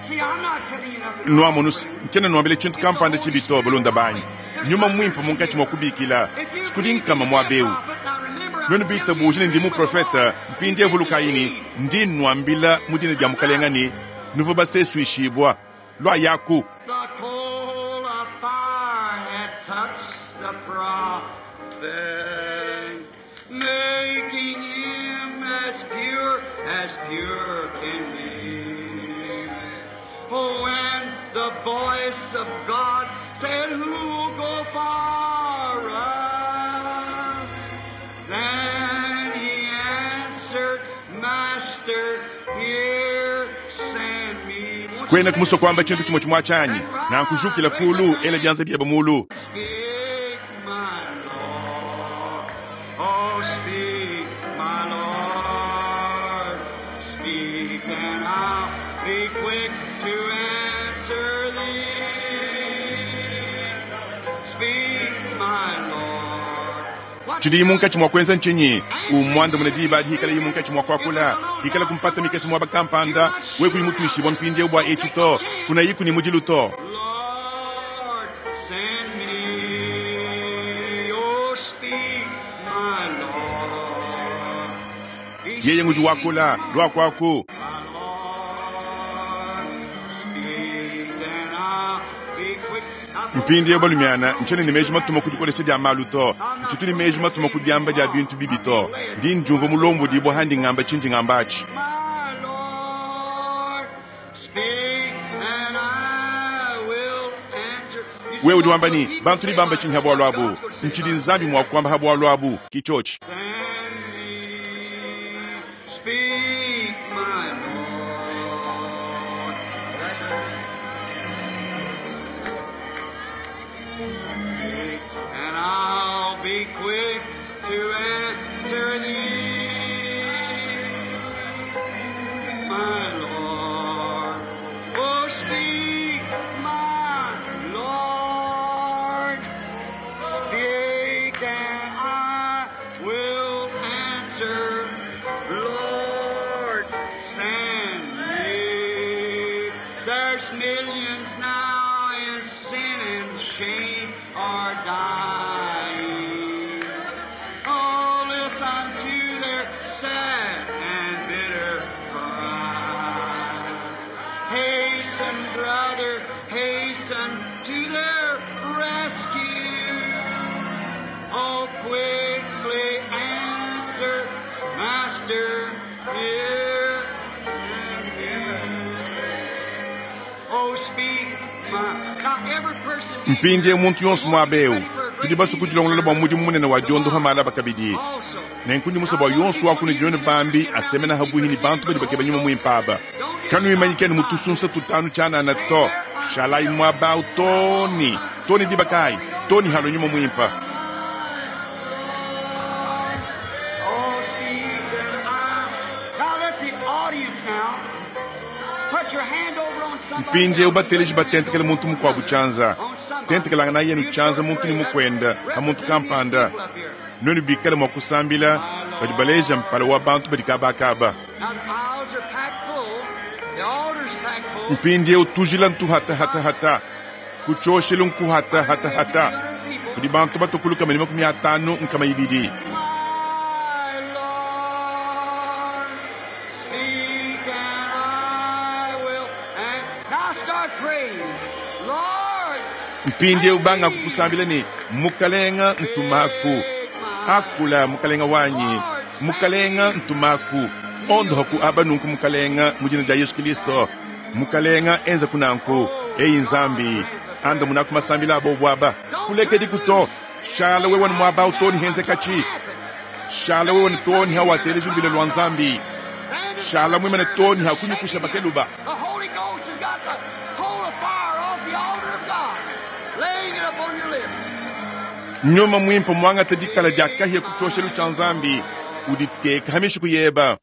S2: See, I'm not telling you nothing.
S1: Nuamonus, ntshiena nnuambila tshintu kampanda tshibi to, balunda banyi. Nyuma Muimpe munkatshi mua kubikila, sikudi nkama muaba eu. Nuenu bitabuje ne ndi muprofete, mpindieu vulukayi ne, ndi nnuambila mu dina dia Mukalenga ne, nuvua basesuishibua. Luayaku.
S2: The coal of fire had touched the prophet, making him as pure as pure can be. Oh, when the voice of God said, Who'll go for us? Then he answered, Master, here send me. Won't you
S1: Kuena kumusua
S2: say
S1: kuamba tshintu tshimue tshimue tshianyi. Nankujukila kulu, ela bianza biebe mulu.
S2: Speak, my Lord. Oh, speak, my Lord. Speak, and I'll be quick to answer thee. Speak, my Lord. What
S1: Tshidi munkatshi mua kuenza ntshinyi? Umuandamune diba adi hikala munkatshi mua kuakula. Hikala kumpata mikese muaba kampanda, we kuyi mutuishibua mpindieu bua etshi to, kunayiku ne mudilu to.
S2: Lord, send me. Oh, speak, my Lord. He's
S1: Yeye ngudi wakula, luakuaku.
S2: My Lord, speak and I'll be quick.
S1: Mpindieu balumiana, ntshiena ne meji matuma ku dikolesha dia malu to. Ntshitu ne meji matuma ku diamba dia bintu bibi to. Ndi ndiumvua mulombodibua handi ngamba tshindi ngamba atshi.
S2: My Lord, speak and I will answer. You see,
S1: Wewe udi wamba
S2: what
S1: ne,
S2: people
S1: bantu
S2: say
S1: ne bamba
S2: about
S1: tshinyi ha bualu abu.
S2: God's gonna say
S1: Ntshidi
S2: about it.
S1: Nzambi mua kuamba ha bualu abu, ki tshotshi.
S2: Send me, speak, my Lord. Speak, and I'll be quick to answer thee, my Lord. Oh, speak, my Lord. Speak and I will answer. Lord, send me. There's millions now in sin and shame are dying. Oh, listen to their sad and bitter cry. Hasten, brother, hasten to their rescue. Oh, quickly answer, Master, here and here. Oh, speak, my. Now, every person in
S1: Mpindieu
S2: here
S1: muntu yonso muaba eu,
S2: ready for a great
S1: tudi basue kudilongolola bua mudimu munene wa diondoha malaba kabidi.
S2: also.
S1: Nenku ndi musue bua yonso wa kunudi nuenu bambi asemena habuhi ne bantu badi bakeba nyuma muimpe aba. Kanuimanyikeni mu tusunsa tutanu tshianana to. Shalayi muaba awu too ne, too ne diba kayi, too ne halua nyuma muimpe.
S2: Oh, speak and I. Now let the audience now put your hand over on somebody.
S1: Mpindieu bateleji batentekele muntu mukuabu tshianza.
S2: On somebody.
S1: Tentekelangana yenu tshianza muntu ne mukuenda, ha muntu kampanda. Nuenu bikale mua kusambila, badi baleja mpala wa bantu badi kabakaba.
S2: Now the aisles are packed full. The altar's packed full.
S1: Mpindieu tujila ntuhatahatahata, kutshioshelu nkuhatahatahata. Kudi bantu batukuluka mene 50 nkama ibidi.
S2: My Lord, speak and I will. And now start praying. Lord,
S1: Mpindieu banga kukusambila ne, Mukalenga ntumaku. Akula mukalenga wanyi, mukalenga ntumaku. Ondohaku aba nunku mukalenga mu dina dia Yesu Kristo. Mukalenga enza kunanku, eyi Nzambi, anda munaku masambila abo bwaba. Kulekedi kuto, shala wewe ni muaba utoni henze kachi. Shala wewe ni toni hawateleji mbile lwa Nzambi.
S2: stand
S1: Shala mwimene toni hakunyukusha bakeluba.
S2: The Holy Ghost has got the coal of fire off the altar of God, laying it upon your lips.
S1: Nyuma Muimpe muangate dikala dia kahia ku tshioshelu tshia Nzambi, uditeke ha mishiku yeba.